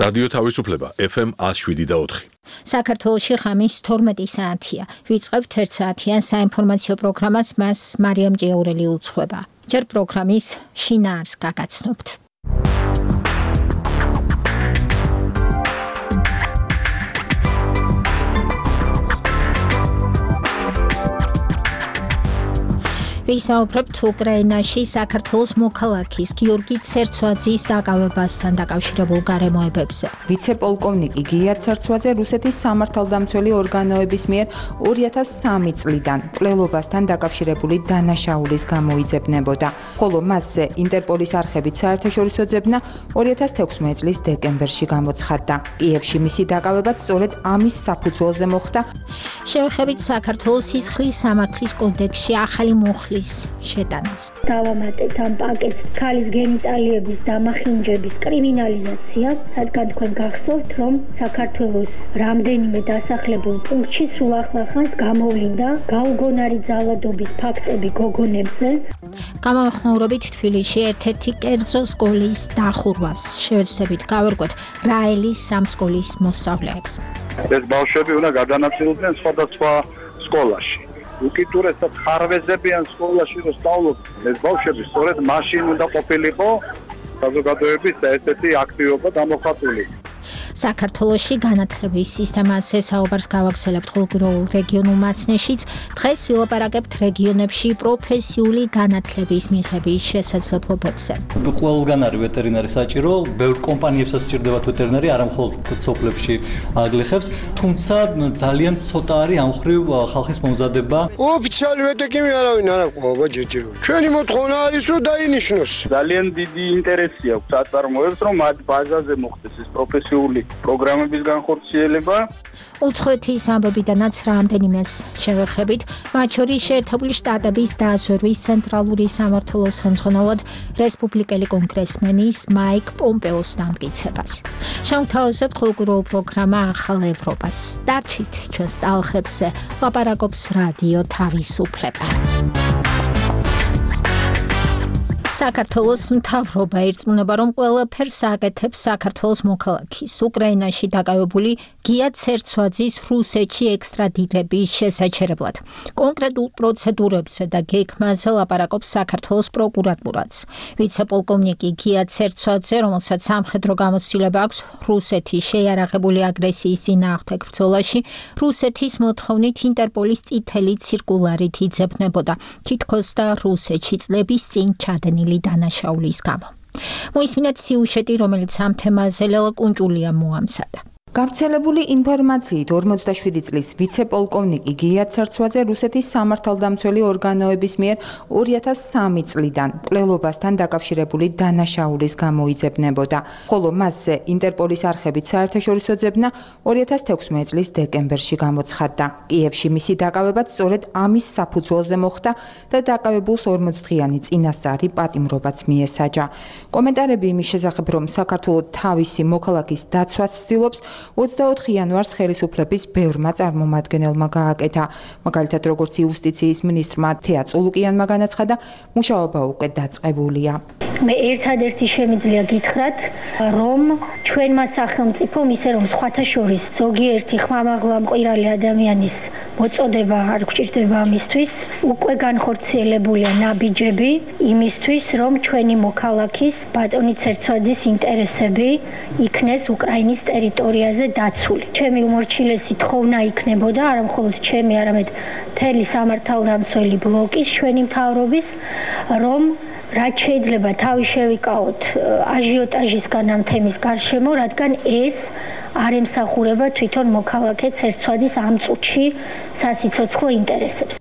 რადიო თავისუფლება FM 107.4. საქართველოში ღამის 12 საათია. ვიწყებთ 1 საათიან საინფორმაციო პროგრამას, მას მარიამ ჭიაურელი უძღვება. ჯერ პროგრამის შინაარს გაგაცნობთ. ვისაუბრებთ უკრაინაში საქართველოს მოქალაქის გიორგი ცერცვაძის დაკავებასთან დაკავშირებულ გარემოებებზე. ვიცე-პოლკოვნიკი გია ცერცვაძე რუსეთის სამართალდამცველი ორგანოების მიერ 2003 წლიდან მკვლელობასთან დაკავშირებული დანაშაულის გამოიძებნებოდა, ხოლო მასზე ინტერპოლის არხებით საერთაშორისო ძებნა 2016 წლის დეკემბერში გამოცხადდა. კიევში მისი დაკავებაც სწორედ ამის საფუძველზე მოხდა. შევეხებით საქართველოს სისხლის სამართლის კოდექსში ახალი მუხლის შეტანას. დავამატებთ ამ პაკეტს ქალის გენიტალიების დამახინჯების კრიმინალიზაცია, რადგან თქვენ გახსოვთ, რომ საქართველოს რამდენიმე დასახლებულ პუნქტში სულ ახლახანს გამოვლინდა გაუგონარი ძალადობის ფაქტები გოგონებზე. გამოეხმაურებით თბილისში ერთ-ერთი კერძო სკოლის დახურვას. შევეცდებით გავერკვეთ რაელის სამსკოლის მოსწავლეებს. ეს ბავშვები უნდა გადანაწილდნენ სხვადასხვა სკოლაში. უკიდურესად ხარვეზებიან სკოლაში რომ სწავლობდნენ. ეს ბავშვები სწორედ მაშინ უნდა ყოფილიყო საზოგადოების ერთ-ერთი აქტივობა გამოხატული. საქართველოში განათლების სისტემაზე საუბარს გავაგრძელებთ ხულგროულ რეგიონულ მაცნეშიც. დღეს ვილაპარაკებთ რეგიონებში პროფესიული განათლების მიღების შესაძლებლობებზე. ყველგან არის ვეტერინარი საჭირო, ბევრ კომპანიებსაც სჭირდებათ ვეტერინარი, არა მხოლოდ სოფლებში აგლეხებს, თუმცა ძალიან ცოტა არის ამ ხრივ ხალხის მომზადება. ოფიციალი ვეტეკიმი არავინ არ აყვაობა ჯერჯერო. ჩვენი მოთხოვნა არის რომ დაინიშნოს. ძალიან დიდი ინტერესი აქვს აწარმოებს რომ მათ ბაზაზე მოხდეს ეს პროფესიული პროგრამების განხორციელება. უცხოეთის ამბებიდანაც რამდენიმეს შევეხებით, მათ შორის შეერთებული შტატების დაზვერვის ცენტრალური სამმართველოს ხელმძღვანელად რესპუბლიკელი კონგრესმენის მაიკ პომპეოს დამტკიცებას. შევთავაზებთ ხულგროულ პროგრამა ახალ ევროპას. დარჩით ჩვენს ტალღებზე, ლაპარაკობს რადიო თავისუფლება. საქართველოს მთავრობა ირწმუნება, რომ ყველაფერს აკეთებს საქართველოს მოქალაქის უკრაინაში დაკავებული გია ცერცვაძის რუსეთში ექსტრადირების შესაჩერებლად. კონკრეტულ პროცედურებზე და გეგმაზე ლაპარაკობს საქართველოს პროკურატურაც. ვიცე-პოლკოვნიკი გია ცერცვაძე, რომელსაც სამხედრო გამოცდილება აქვს რუსეთის შეიარაღებული აგრესიის წინააღმდეგ ბრძოლაში, რუსეთის მოთხოვნით ინტერპოლის წითელი ცირკულარით იძებნებოდა, თითქოს და რუსეთში წლების წინ ჩადენილი დანაშაულის გამო. მოისმინეთ სიუჟეტი, რომელიც ამ თემაზე ლელა კუნჭულია მოამზადა. გავრცელებული ინფორმაციით 47 წლის ვიცე-პოლკოვნიკი გია ცერცვაძე რუსეთის სამართალდამცველი ორგანოების მიერ 2003 წლიდან მკვლელობასთან დაკავშირებული დანაშაულის გამოიძებნებოდა, ხოლო მასზე ინტერპოლის არხებით საერთაშორისო ძებნა 2016 წლის დეკემბერში გამოცხადდა. კიევში მისი დაკავებაც სწორედ ამის საფუძველზე მოხდა და დაკავებულს 40 დღიანი წინასწარი პატიმრობაც მიესაჯა. კომენტარები იმის შესახებ, რომ საქართველოს თავისი მოქალაქის დაცვას ცდილობს, 24 იანვარს ხელისუფლების ბევრმა წარმომადგენელმა გააკეთა. მაგალითად, როგორც იუსტიციის მინისტრმა თეა წულუკიანმა განაცხადა, მუშაობა უკვე დაწყებულია. მე ერთადერთი შემიძლია გითხრათ, რომ ჩვენმა სახელმწიფომ ისე რომ სხვათა შორის ზოგიერთი ხმამაღლა მყირალი ადამიანის მოწოდება არ გვჭირდება ამისთვის, უკვე განხორციელებულია ნაბიჯები იმისთვის, რომ ჩვენი მოქალაქის ბატონი ცერცვაძის ინტერესები იქნეს უკრაინის ტერიტორიაზე დაცული. ჩემი უმორჩილესი თხოვნა იქნებოდა არა მხოლოდ ჩემი, არამედ მთელი სამართალდამცველი ბლოკის ჩვენი მთავრობის, რომ რაც შეიძლება თავი შევიკავოთ აჟიოტაჟისგან ამ თემის გარშემო, რადგან ეს არ ემსახურება თვითონ მოქალაქე ცერცვაძის ამ წუთში სასიცოცხლო ინტერესებს.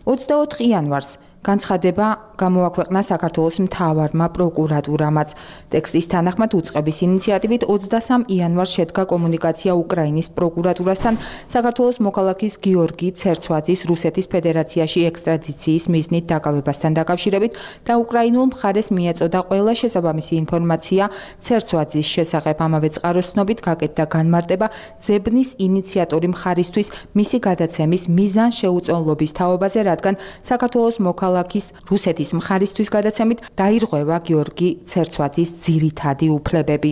24 იანვარს განცხადება გამოაქვეყნა საქართველოს მთავარმა პროკურატურამაც. ტექსტის თანახმად უწყების ინიციატივით 23 იანვარს შედგა კომუნიკაცია უკრაინის პროკურატურასთან საქართველოს მოქალაქის გიორგი ცერცვაძის რუსეთის ფედერაციაში ექსტრადიციის მიზნით დაკავებასთან დაკავშირებით და უკრაინულ მხარეს მიეწოდა ყველა შესაბამისი ინფორმაცია ცერცვაძის შესახებ. ამავე წყაროს ცნობით გაკეთდა განმარტება ძებნის ინიციატორი მხარისთვის მისი გადაცემის მიზანშეუწონლობის თაობაზე, რადგან საქართველოს მოქალაქის რუსეთის მხარისთვის გადაცემით დაირღვევა გიორგი ცერცვაძის ძირითადი უფლებები.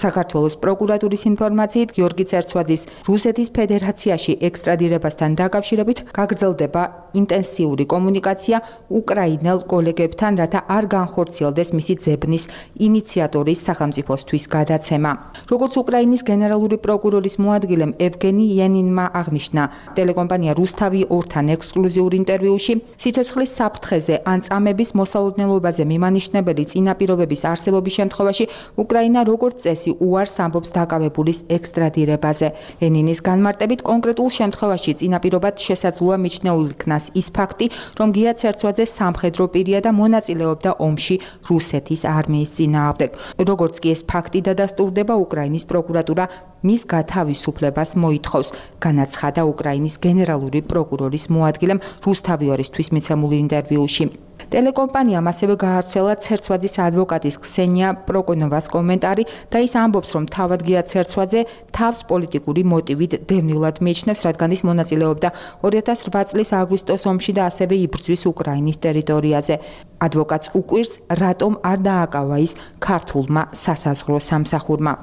საქართველოს პროკურატურის ინფორმაციით გიორგი ცერცვაძის რუსეთის ფედერაციაში ექსტრადირებასთან დაკავშირებით გაგრძელდება ინტენსიური კომუნიკაცია უკრაინელ კოლეგებთან, რათა არ განხორციელდეს მისი ძებნის ინიციატორის სახელმწიფოსთვის გადაცემა. როგორც უკრაინის გენერალური პროკურორის მოადგილემ ევგენი იანინმა აღნიშნა ტელეკომპანია რუსთავი 2-თან ექსკლუზიურ ინტერვიუში, სიცოცხლის საფრთხეზე ან წამების მოსალოდნელობაზე მიმანიშნებელი წინაპირობების არსებობის შემთხვევაში უკრაინა როგორც წესი უარს ამბობს დაკავებულის ექსტრადირებაზე. ენინის განმარტებით კონკრეტულ შემთხვევაში წინაპირობად შესაძლოა მიჩნეულ იქნას ის ფაქტი, რომ გია ცერცვაძე სამხედრო პირია და მონაწილეობდა ომში რუსეთის არმიის წინააღმდეგ. როგორც კი ეს ფაქტი დადასტურდება, უკრაინის პროკურატურა მის გათავისუფლებას მოითხოვს, განაცხადა უკრაინის გენერალური პროკურორის მოადგილემ რუსთავი 2-ისთვის მიცემულ ინტერვიუში. ტელეკომპანიამ ასევე გაავრცელა ცერცვაძის ადვოკატის ქსენია პროკონოვას კომენტარი და ის ამბობს, რომ თავად გია ცერცვაძე თავს პოლიტიკური მოტივით დევნილად მიიჩნევს, რადგან ის მონაწილეობდა 2008 წლის აგვისტოს ომში და ასევე იბრძვის უკრაინის ტერიტორიაზე. ადვოკატს უკვირს, რატომ არ დააკავა ის ქართულმა სასაზღვრო სამსახურმა.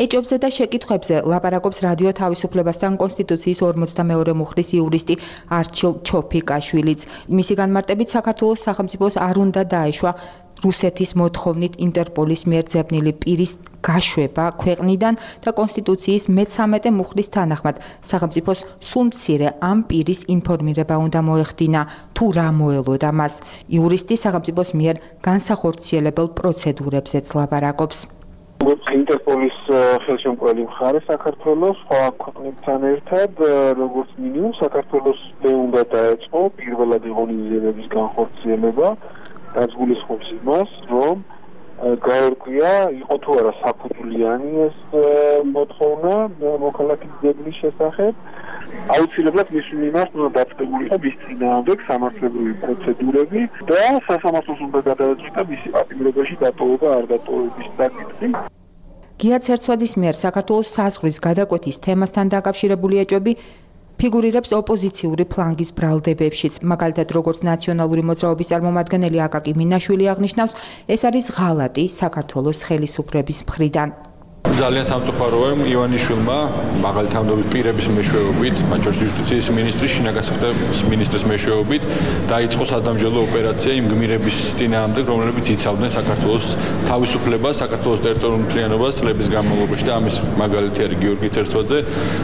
ეჭობზე და შეკითხვებზე ლაპარაკობს რადიო თავისუფლებასთან კონსტიტუციის 42 მუხლის იურისტი არჩილ ჩოფიკაშვილიც. მისი განმარტებით საქართველოს სახელმწიფოს არ უნდა დაეშვა რუსეთის მოთხოვნით ინტერპოლის მიერ ძებნილი პირის გაშვება ქვეყნიდან და კონსტიტუციის მე-13 მუხლის თანახმად სახელმწიფოს სულ მცირე ამ პირის ინფორმირება უნდა მოეხდინა, თუ რა მოელოდა მას. იურისტი სახელმწიფოს მიერ განსახორციელებელ პროცედურებზეც ლაპარაკობს. ინტერპოლის ხელშემწყობელი მხარე საქართველოს სხვა ქვეყნებთან ერთად, როგორც მინიმუმ საქართველოს უნდა დაეწყო პირველად ღონისძიებების განხორციელება, რაც გულისხმობს იმას, რომ გაერკვია, იყო თუ არა საფუძვლიანი ეს მოთხოვნა მოქალაქის ძებნის შესახებ. აუცილებლად მის მიმართ უნდა დაწყებულიყო მის წინააღმდეგ სამართლებრივი პროცედურები და სასამართლოს უნდა გადაეჭრა მისი პატიმრობაში დატოვება არ დატოვების საკითხი. გია ცერცვაძის მიერ საქართველოს საზღვრის გადაკვეთის თემასთან დაკავშირებული ეჭვები ფიგურირებს ოპოზიციური ფლანგის ბრალდებებშიც. მაგალითად, როგორც ნაციონალური მოძრაობის წარმომადგენელი აკაკი მინაშვილი აღნიშნავს, ეს არის ღალატი საქართველოს ხელისუფლების მხრიდან. ძალიან სამწუხაროა ივანიშვილმა მაღალთანადობის პირების მეშვეობით, მათ შორის იუსტიციის მინისტრის, შინაგანსაკუთრების მინისტრის მეშვეობით დაიწყო სადამსჯელო ოპერაცია იმ გმირების წინააღმდეგ, რომლებიც იცავდნენ საქართველოს თავისუფლებას, საქართველოს ტერიტორიულ მთლიანობას წლების განმავლობაში და ამის მაგალითი არის გიორგი ცერცვაძე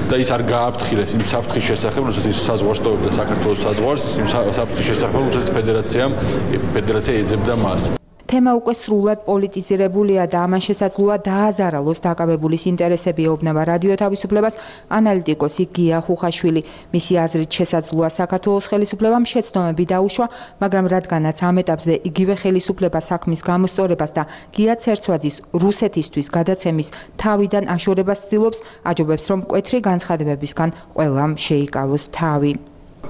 და ის არ გააფრთხილეს იმ საფრთხის შესახებ, როდესაც ის საზღვარს ტოვებდა საქართველოს საზღვარს, იმ საფრთხის შესახებ, როდესაც ფედერაცია ეძებდა მას. თემა უკვე სრულად პოლიტიზირებულია და ამან შესაძლოა დააზარალოს დაკავებულის ინტერესები, ეუბნება რადიო თავისუფლებას ანალიტიკოსი გია ხუხაშვილი. მისი აზრით შესაძლოა საქართველოს ხელისუფლებამ შეცდომები დაუშვა, მაგრამ რადგანაც ამ ეტაპზე იგივე ხელისუფლება საქმის გამოსწორებას და გია ცერცვაძის რუსეთისთვის გადაცემის თავიდან აშორებას ცდილობს, აჯობებს, რომ მკვეთრი განცხადებებისგან ყველამ შეიკავოს თავი.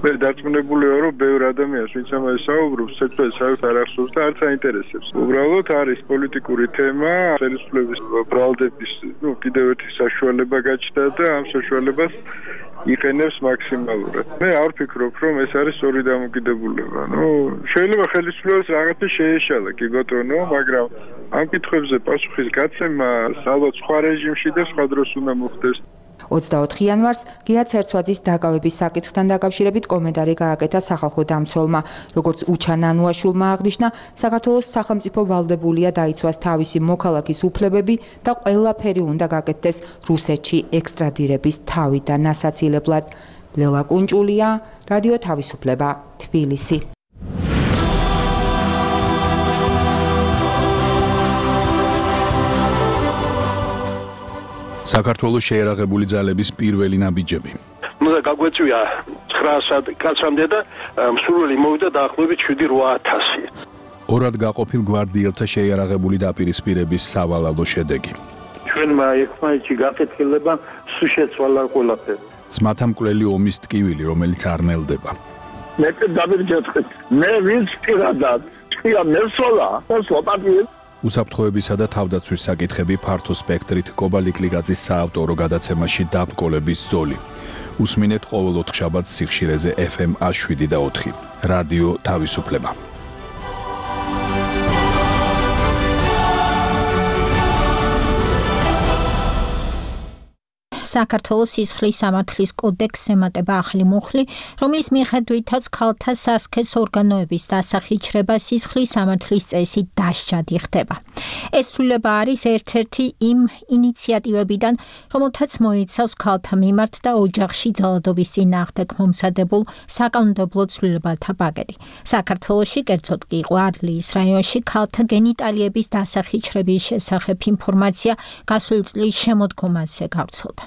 მე დარწმუნებული ვარ, რომ ბევრ ადამიანს, ვინც ამაზე საუბრობს, ცეკვებს საერთოდ არ ახსოვს და არც აინტერესებს. უბრალოდ არის პოლიტიკური თემა, ხელისუფლების ბრალდების, კიდევ ერთი საშუალება გაჩნდა და ამ საშუალებას იყენებს მაქსიმალურად. მე არ ვფიქრობ, რომ ეს არის სწორი დამოკიდებულება. შეიძლება ხელისუფლებას რაღაცა შეეშალა, კი ბატონო, მაგრამ ამ კითხვებზე პასუხის გაცემა ალბათ სხვა რეჟიმში და სხვა დროს უნდა მოხდეს. 24 იანვარს გია ცერცვაძის დაკავების საკითხთან დაკავშირებით კომენტარი გააკეთა სახალხო დამცველმა. როგორც უჩა ნანუაშვილმა აღნიშნა, საქართველოს სახელმწიფო ვალდებულია დაიცვას თავისი მოქალაქის უფლებები და ყველაფერი უნდა გაკეთდეს რუსეთში ექსტრადირების თავიდან ასაცილებლად. ლელა კუნჭულია, რადიო თავისუფლება, თბილისი. საქართველოს შეერაღებული ძალების პირველი ნაბიჯები. უნდა გაგვეწვია 900 კაცამდე და მსურველი მოვიდა დაახლოებით 7-8000. ორად გაყოფილ გვარდიელთა შეერაღებული დაპირისპირების სავალალო შედეგი. ჩვენმა ერთმანეთში გაკეთილება სულ შეცვალა ყველაფერი. ძმათა მკვლელი ომის ტკივილი, რომელიც არ ნელდება. მე დავირჯეთხეთ. მე ვინც პირადად ჭია მესოლა, სლოპატიე უსაფრთხოებისა და თავდაცვის საკითხები ფართო სპექტრით კობალიკლიგაძის საავტორო გადაცემაში დაბრკოლების ზოლი. უსმინეთ ყოველ ოთხშაბათს სიხშირეზე FM 107 და 4. რადიო თავისუფლება. საქართველოს სისხლის სამართლის კოდექსს ემატება ახალი მუხლი, რომლის მიხედვითაც ქალთა სასქეს ორგანოების დასახიჩრება სისხლის სამართლის წესით დასჯადი ხდება. ეს ცვლილება არის ერთ-ერთი იმ ინიციატივებიდან, რომელთაც მოიცავს ქალთა მიმართ და ოჯახში ძალადობის წინააღმდეგ მომზადებულ საკანონმდებლო ცვლილებათა პაკეტი. საქართველოში, კერძოდ კი ყვარლის რაიონში ქალთა გენიტალიების დასახიჩრების შესახებ ინფორმაცია გასული წლის შემოდგომაზე გავრცელდა.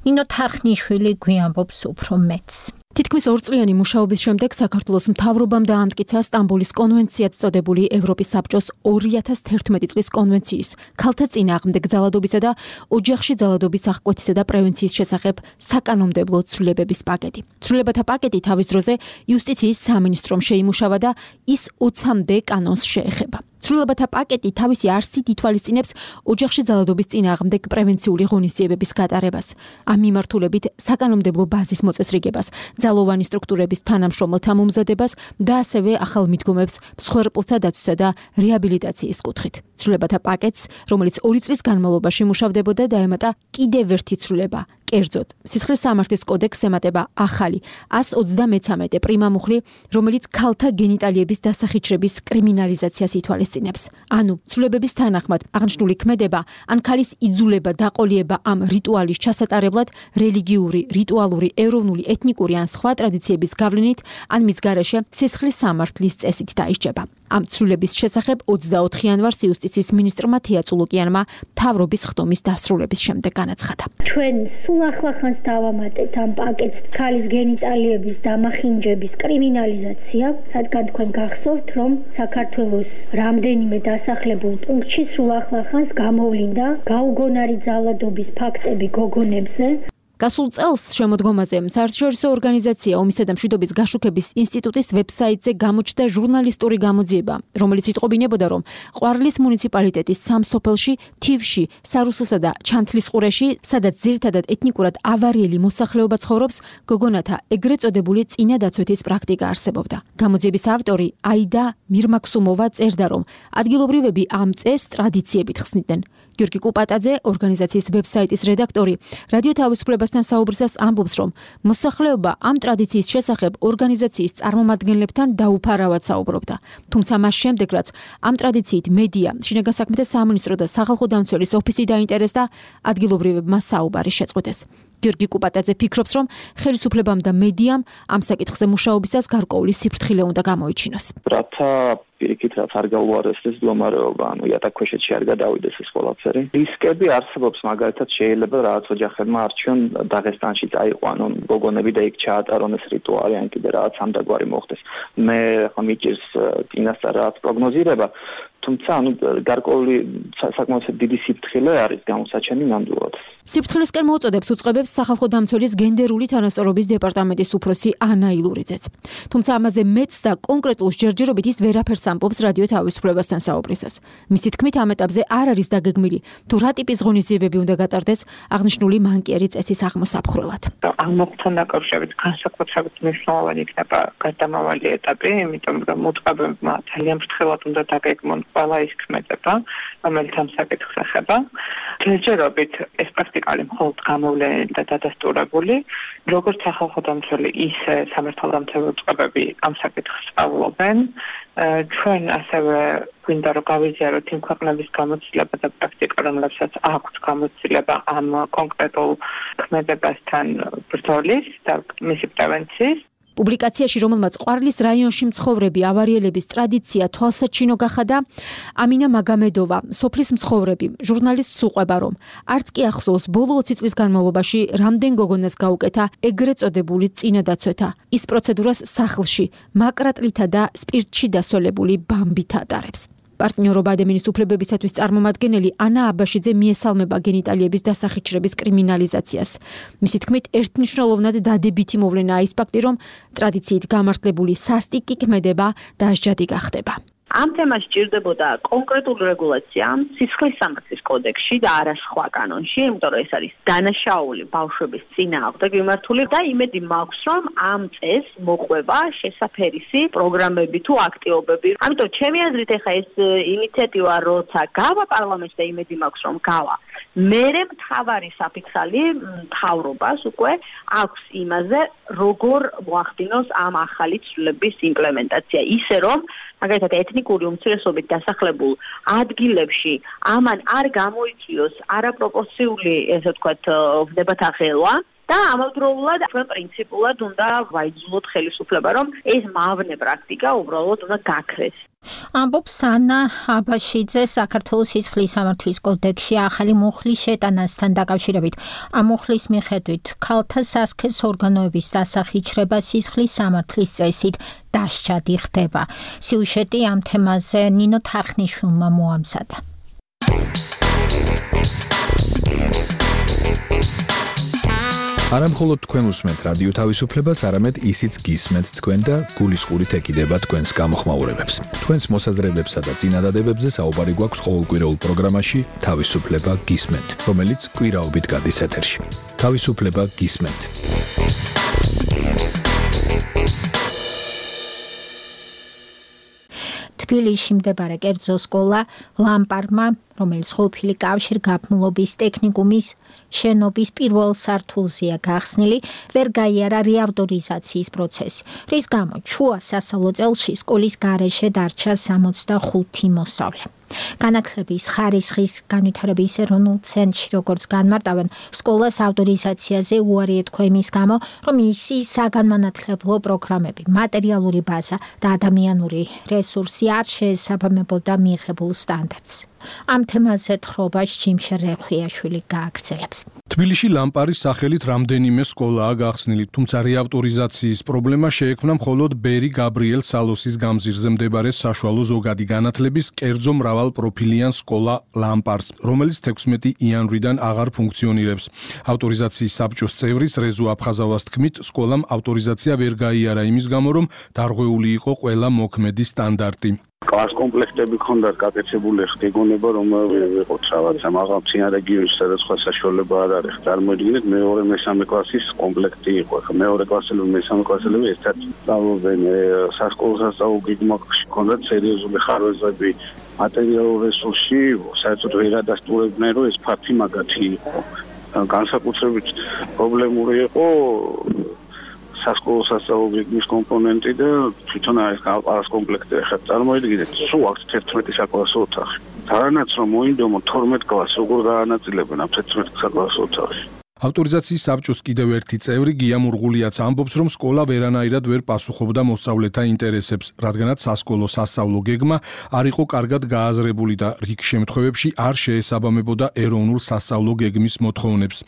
ნინო თარხნიშვილი გვიამბობს უფრო მეტს. თითქმის 2 წლიანი მუშაობის შემდეგ საქართველოს მთავრობამ დაამტკიცა სტამბოლის კონვენციად წოდებული ევროპის საბჭოს 2011 წლის კონვენციის ქალთა წინააღმდეგ ძალადობისა და ოჯახში ძალადობის აღკვეთისა და პრევენციის შესახებ საკანონმდებლო ცვლილებების პაკეტი. ცვლილებათა პაკეტი თავის დროზე იუსტიციის სამინისტრომ შეიმუშავა და ის 20-მდე კანონს შეეხება. ცვლილებათა პაკეტი თავისი არსით ითვალისწინებს ოჯახში ძალადობის წინააღმდეგ პრევენციული ღონისძიებების გატარებას, ამ მიმართულებით საკანონმდებლო ბაზის მოწესრიგებას, ძალოვანი სტრუქტურების თანამშრომელთა მომზადებას და ასევე ახალ მიდგომებს მსხვერპლთა დაცვისა და რეაბილიტაციის კუთხით. ცვლილებათა პაკეტს, რომელიც 2 წლის განმავლობაში მუშავდებოდა, დაემატა კიდევ ერთი ცვლილება. კერძოდ, სისხლის სამართლის კოდექსს ემატება ახალი 133 პრიმა მუხლი, რომელიც ქალთა გენიტალიების დასახიჩრების კრიმინალიზაციას ითვალისწინებს. ანუ, ცვლილებების თანახმად აღნიშნული ქმედება ან ქალის იძულება, დაყოლიება ამ რიტუალის ჩასატარებლად რელიგიური, რიტუალური, ეროვნული, ეთნიკური ან სხვა ტრადიციების გავლენით ან მის გარეშე სისხლის სამართლის წესით დაისჯება. ამ ცვლილების შესახებ 24 იანვარს იუსტიციის მინისტრმა თია წულუკიანმა მთავრობის ხდომის დასრულების შემდეგ განაცხადა. ჩვენ სულ ახლახანს დავამატეთ ამ პაკეტს ქალის გენიტალიების დამახინჯების კრიმინალიზაცია, რადგან თქვენ გახსოვთ, რომ საქართველოს რამდენიმე დასახლებულ პუნქტში სულ ახლახანს გამოვლინდა გაუგონარი ძალადობის ფაქტები გოგონებზე. გასულ წელს შემოდგომაზე საერთაშორისო ორგანიზაცია ომისა და მშვიდობის გაშუქების ინსტიტუტის ვებსაიტზე გამოჩნდა ჟურნალისტური გამოძიება, რომელიც იტყობინებოდა, რომ ყვარლის მუნიციპალიტეტის სამ სოფელში, თივში, სარუსოსა და ჩანთლისყურეში, სადაც ძირითადად ეთნიკურად ავარიელი მოსახლეობა ცხოვრობს, გოგონათა ეგრეთ წოდებული წინადაცვეთის პრაქტიკა არსებობდა. გამოძიების ავტორი აიდა მირმაქსუმოვა წერდა, რომ ადგილობრივები ამ წესს ტრადიციებით ხსნიდნენ. გიორგი კუპატაძე, ორგანიზაციის ვებსაიტის რედაქტორი, რადიო თავისუფლებასთან საუბრისას ამბობს, რომ მოსახლეობა ამ ტრადიციის შესახებ ორგანიზაციის წარმომადგენლებთან დაუფარავად საუბრობდა. თუმცა მას შემდეგ, რაც ამ ტრადიციით მედია, შინაგან საქმეთა სამინისტრო და სახალხო დამცველის ოფისი დაინტერესდა, ადგილობრივებმა საუბარი შეწყვეტეს. გიორგი კუპატაძე ფიქრობს, რომ ხელისუფლებამ და მედიამ ამ საკითხზე მუშაობისას გარკვეული სიფრთხილე უნდა გამოიჩინოს. რათა პირიქით რაც არ გაუარეს ეს მდგომარეობა, ანუ იატაკქვეშეთში არ გადავიდეს ეს ყველაფერი. რისკები არსებობს, მაგალითად შეიძლება რაღაც ოჯახებმა არჩიონ დაღესტანში წაიყვანონ გოგონები და იქ ჩაატარონ ეს რიტუალი, ან კიდე რაღაც ამდაგვარი მოხდეს. მე ხომ მიჭირს წინასწარ რაღაც პროგნოზირება, თუმცა ანუ გარკვეული საკმაოდ დიდი სიფრთხილე არის გამოსაჩენი ნამდვილად. სიფრთხილესკენ მოუწოდებს უწყებებს სახალხო დამცველის გენდერული თანასწორობის დეპარტამენტის უფროსი ანა ილურიძეც. თუმცა ამაზე მეც და კონკრეტულ ჯერჯერობით ის ვერაფერს ამბობს რადიო თავისუფლებასთან საუბრისას. მისი თქმით, ამ ეტაპზე არ არის დაგეგმილი, თუ რა ტიპის ღონისძიებები უნდა გატარდეს აღნიშნული მანკიერი წესის აღმოსაფხრელად. ამ მოხდთან დაკავშირებით განსაკუთრებით მნიშვნელოვანი იქნება გარდამავალი ეტაპი, იმიტომ რომ მოწყობებმა ძალიან ფრთხილად უნდა დაგეგმონ ყველა ის ქმედება, რომელიც ამ საკითხს ეხება. ჯერჯერობით ეს პრაქტიკალი მხოლოდ გამოვლენილი და დადასტურებული, როგორც სახალხო დამცველი, ისე სამართალდამცავი უწყებები ამ საკითხს სწავლობენ. ჩვენ ასევე გვინდა რომ გავიზიაროთ იმ ქვეყნების გამოცდილება და პრაქტიკა, რომლებსაც აქვს გამოცდილება ამ კონკრეტულ ქმედებასთან ბრძოლის და მისი პრევენციის. პუბლიკაციაში, რომელმაც ყვარლის რაიონში მცხოვრები ავარიელების ტრადიცია თვალსაჩინო გახადა, ამინა მაგამედოვა, სოფლის მცხოვრები, ჟურნალისტს უყვება, რომ არც კი ახსოვს ბოლო 20 წლის განმავლობაში რამდენ გოგონას გაუკეთა ეგრეთ წოდებული წინადაცვეთა. ის პროცედურას სახლში, მაკრატლითა და სპირტში დასოლებული ბამბით ატარებს. პარტნიორობა ადამიანის უფლებებისათვის წარმომადგენელი ანა აბაშიძე მიესალმება გენიტალიების დასახიჩრების კრიმინალიზაციას. მისი თქმით, ერთმნიშვნელოვნად დადებითი მოვლენაა ის ფაქტი, რომ ტრადიციით გამართლებული სასტიკი ქმედება დასჯადი გახდება. ამ თემას სჭირდებოდა კონკრეტული რეგულაცია სისხლის სამართლის კოდექსში და არა სხვა კანონში, იმიტომ რომ ეს არის დანაშაული ბავშვების წინააღმდეგ მიმართული და იმედი მაქვს, რომ ამ წესს მოყვება შესაფერისი პროგრამები თუ აქტივობები. ამიტომ ჩემი აზრით, ეხა ეს ინიციატივა როცა გავა პარლამენტში და იმედი მაქვს, რომ გავა, მერე მთავარი საფიქსალი მთავრობას უკვე აქვს იმაზე, როგორ მოახდინოს ამ ახალი ცვლილების იმპლემენტაცია, ისე რომ მაგალითად ეთნიკური უმცირესობით დასახლებულ ადგილებში ამან არ გამოიწვიოს არაპროპორციული, ესე ვთქვათ, ვნებათაღელვა და ამავდროულად ჩვენ პრინციპულად უნდა ვაიძულოთ ხელისუფლება, რომ ეს მავნე პრაქტიკა უბრალოდ უნდა გაქრეს. ამბობს ანა აბაშიძე საქართველოს სისხლის სამართლის კოდექსში ახალი მუხლის შეტანასთან დაკავშირებით. ამ მუხლის მიხედვით ქალთა სასქესო ორგანოების დასახიჩრება სისხლის სამართლის წესით დასჯადი ხდება. სიუჟეტი ამ თემაზე ნინო თარხნიშვილმა მოამზადა. არა მხოლოდ თქვენ უსმენთ რადიო თავისუფლებას, არამედ ისიც გისმენთ თქვენ და გულისყურით ეკიდება თქვენს გამოხმაურებებს. თქვენს მოსაზრებებსა და წინადადებებზე საუბარი გვაქვს ყოველკვირეულ პროგრამაში თავისუფლება გისმენთ, რომელიც კვირაობით გადის ეთერში. თავისუფლება გისმენთ. თბილისში მდებარე კერძო სკოლა ლამპარმა, რომელიც ყოფილი კავშირგაბმულობის ტექნიკუმის შენობის პირველ სართულზეა გახსნილი, ვერ გაიარა რეავტორიზაციის პროცესი, რის გამოც შუა სასწავლო წელში სკოლის გარეშე დარჩა 65 მოსწავლე. განათლების ხარისხის განვითარების ეროვნულ ცენტრში როგორც განმარტავენ, სკოლას ავტორიზაციაზე უარი ეთქვა იმის გამო, რომ ისი საგანმანათლებლო პროგრამები, მატერიალური ბაზა და ადამიანური რესურსი არ შეესაბამებოდა მიღებულ სტანდარტს. ამ თემაზე თხრობას ჯიმშე რეხვიაშვილი გააგრძელებს. თბილისში ლამპარის სახელით რამდენიმე სკოლაა გახსნილი, თუმცა რეავტორიზაციის პრობლემა შეექმნა მხოლოდ ბერი გაბრიელ სალოსის გამზირზე მდებარე საშუალო ზოგადი განათლების კერძო მრავალპროფილიან სკოლა ლამპარს, რომელიც 16 იანვრიდან აღარ ფუნქციონირებს. ავტორიზაციის საბჭოს წევრის რეზო აფხაზავას თქმით, სკოლამ ავტორიზაცია ვერ გაიარა იმის გამო, რომ დარღვეული იყო ყველა მოქმედი სტანდარტი. კლას კომპლექტები ქონდათ გაკეთებული, ხგეგონება რომ ვიყოთ რაღაცა, მაგრამ წინა რეგიონში სადაც სხვა საშუალება არ არის. წარმოიდგინეთ, მეორე მესამე კლასის კომპლექტი იყო. მეორე კლასელები, მესამე კლასელები ერთად სწავლობენ სასკოლო სასწავლო გეგმაში, ქონდათ სერიოზული ხარვეზები, მატერიალურ რესურსში, საერთოდ ვერ ადასტურებდნენ, რომ ეს ფაქტი მაგათი იყო. განსაკუთრებით პრობლემური იყო სასკოლო სასწავლო გეგმის კომპონენტი და თვითონ არის ყალყალას კომპლექტი. ახლა წარმოიდგინეთ, სულ აქვს 11 საკლასო ოთახი. თანაც რომ მოინდომო 12 კლასს როგორ გაანაწილებენ ამ 11 საკლასო ოთახში. ავტორიზაციის საბჭოს კიდევ ერთი წევრი გია მურღულიაც ამბობს, რომ სკოლა ვერანაირად ვერ პასუხობდა მოსწავლეთა ინტერესებს, რადგანაც სასკოლო სასწავლო გეგმა არ იყო კარგად გააზრებული და რიგ შემთხვევებში არ შეესაბამებოდა ეროვნულ სასწავლო გეგმის მოთხოვნებს.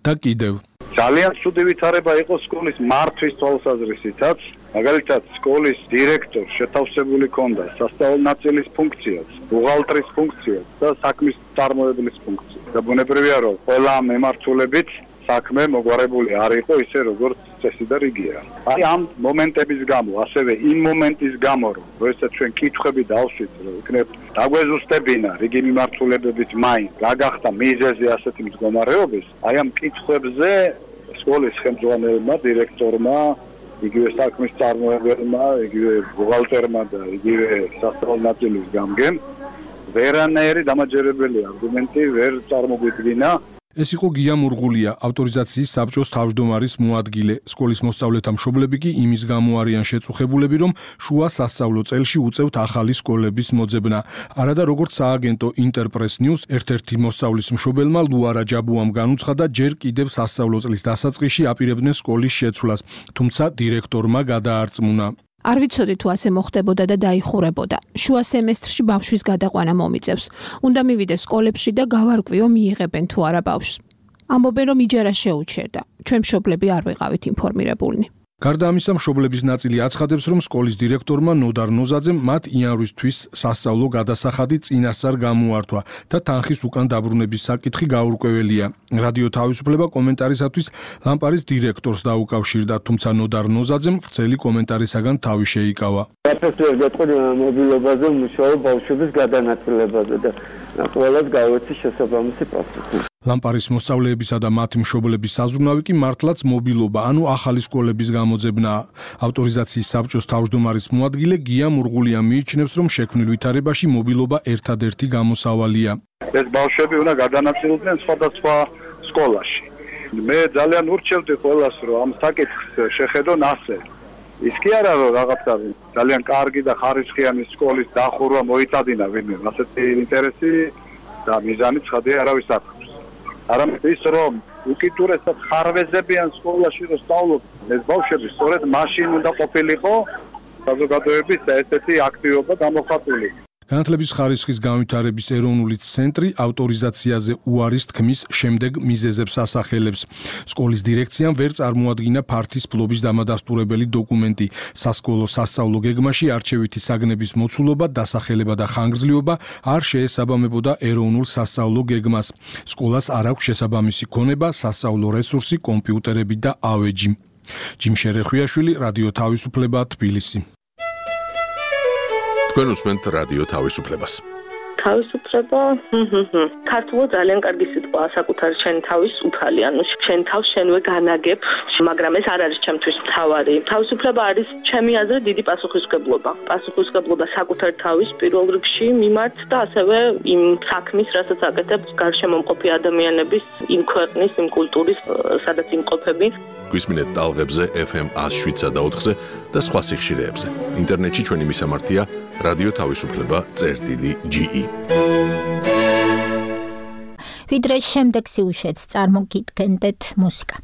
და კიდევ ძალიან ცუდი ვითარება იყო სკოლის მართვის თვალსაზრისითაც. მაგალითად, სკოლის დირექტორს შეთავსებული ჰქონდა სასწავლო ნაწილის ფუნქციაც, ბუღალტრის ფუნქციაც და საქმის წარმოებლის ფუნქციაც. და ბუნებრივია, რომ ყველა მემართულებით საქმე მოგვარებული არ იყო ისე, როგორც წესი და რიგია. აი ამ მომენტების გამო, ასევე იმ მომენტის გამო, რომ როდესაც ჩვენ კითხვები დავსვით, რომ იქნებ დაგვეზუსტებინა რიგი მიმართულებებით მაინც რა გახდა მიზეზი ასეთი მდგომარეობის, აი ამ კითხვებზე სკოლის ხელმძღვანელმა, დირექტორმა, იგივე საქმის წარმოებელმა, იგივე ბუღალტერმა და იგივე სასწავლო ნაწილის გამგემ ვერანაირი დამაჯერებელი არგუმენტი ვერ წარმოგვიდგინა. ეს იყო გია მურღულია, ავტორიზაციის საბჭოს თავმჯდომარის მოადგილე. სკოლის მოსწავლეთა მშობლები კი იმის გამო არიან შეწუხებულები, რომ შუა სასწავლო წელში უწევთ ახალი სკოლების მოძებნა. არადა როგორც სააგენტო ინტერპრეს ნიუს ერთ-ერთი მოსწავლის მშობელმა ლუარა ჯაბუამ განუცხადა, ჯერ კიდევ სასწავლო წლის დასაწყისში აპირებდნენ სკოლის შეცვლას, თუმცა დირექტორმა გადაარწმუნა. არ ვიცოდი თუ ასე მოხდებოდა და დაიხურებოდა. შუა სემესტრში ბავშვის გადაყვანა მომიწევს. უნდა მივიდეს სკოლებში და გავარკვიო მიიღებენ თუ არა ბავშვს. ამბობენ რომ იჯარა შეუჩერდა. ჩვენ მშობლები არ ვიყავით ინფორმირებულნი. გარდა ამისა, მშობლების ნაწილი აცხადებს, რომ სკოლის დირექტორმა ნოდარ ნოზაძემ მათ იანვრისთვის სასწავლო გადასახადი წინასწარ გამოართვა და თანხის უკან დაბრუნების საკითხი გაურკვეველია. რადიო თავისუფლება კომენტარისათვის ლამპარის დირექტორს დაუკავშირდა, თუმცა ნოდარ ნოზაძემ ვრცელი კომენტარისაგან თავი შეიკავა. საფრთხეს გეტყვი მობილობაზე მუშაობ ბავშვების გადანაწილებაზე და ყველას გავეცი შესაბამისი პასუხი. ლამპარის მოსწავლეებისა და მათი მშობლების საზრუნავი კი მართლაც მობილობა, ანუ ახალი სკოლების გამოძებნაა. ავტორიზაციის საბჭოს თავმჯდომარის მოადგილე გია მურღულია მიიჩნევს, რომ შექმნილ ვითარებაში მობილობა ერთადერთი გამოსავალია. ეს ბავშვები უნდა გადანაწილდნენ სხვადასხვა სკოლაში. მე ძალიან ურჩევდი ყველას, რომ ამ საკითხს შეხედონ ასე. ის კი არა, რომ რაღაცა ძალიან კარგი და ხარისხიანი სკოლის დახურვა მოიტადინა ვინმე, ასეთი ინტერესი და მიზანი ცხადია არავის არ აქვს. არამედ ის, რომ უკიდურესად ხარვეზებიან სკოლაში რომ სწავლობდნენ, ეს ბავშვები სწორედ მაშინ უნდა ყოფილიყო საზოგადოების ესეთი აქტივობა გამოხატული. განათლების ხარისხის განვითარების ეროვნული ცენტრი ავტორიზაციაზე უარის თქმის შემდეგ მიზეზებს ასახელებს. სკოლის დირექციამ ვერ წარმოადგინა ფართის ფლობის დამადასტურებელი დოკუმენტი. სასკოლო სასწავლო გეგმაში არჩევითი საგნების მოცულობა, დასახელება და ხანგრძლივობა არ შეესაბამებოდა ეროვნულ სასწავლო გეგმას. სკოლას არ აქვს შესაბამისი ქონება, სასწავლო რესურსი, კომპიუტერები და ავეჯი. ჯიმ შერეხვიაშვილი, რადიო თავისუფლება, თბილისი. თქვენ უსმენთ რადიო თავისუფლებას. თავისუფლება, ქართულად ძალიან კარგი სიტყვაა, საკუთარი შენი თავის უფალი, ანუ შენ თავს შენვე განაგებ, მაგრამ ეს არ არის ჩემთვის მთავარი. თავისუფლება არის ჩემი აზრით დიდი პასუხისმგებლობა. პასუხისმგებლობა საკუთარი თავის პირველ რიგში მიმართ და ასევე იმ საქმის, რასაც აკეთებს გარშემომყოფი ადამიანების, იმ ქვეყნის, იმ კულტურის, სადაც იმყოფები. გვისმინეთ ტალღებზე FM 107.4-ზე და სხვა სიხშირეებზე. ინტერნეტში ჩვენი მისამართია რადიო თავისუფლება.ge. ვიდრე შემდეგ სიუჟეტს წარმოგიდგენდეთ მუსიკა.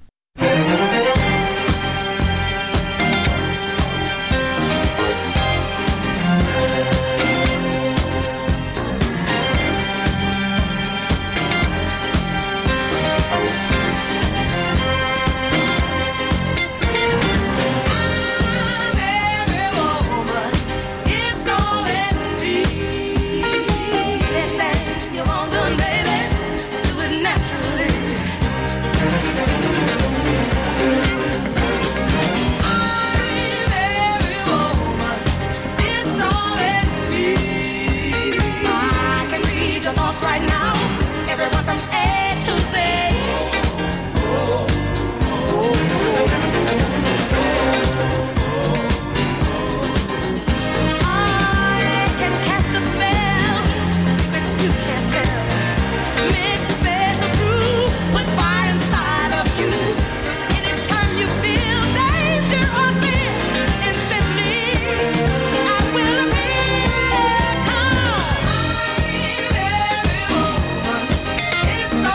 It's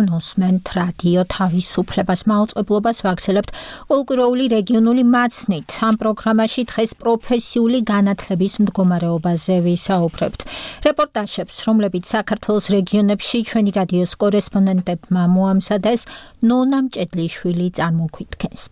უსმენთ რადიო თავისუფლებას მაუწყებლობას ვაგრძელებთ ყოველკვირეული რეგიონული მაცნით. ამ პროგრამაში დღეს პროფესიული განათლების მდგომარეობაზე ვისაუბრებთ. რეპორტაჟებს, რომლებიც საქართველოს რეგიონებში ჩვენი რადიოს კორესპონდენტებმა მოამზადეს, ნონა მჭედლიშვილი წარმოგვიდგენს.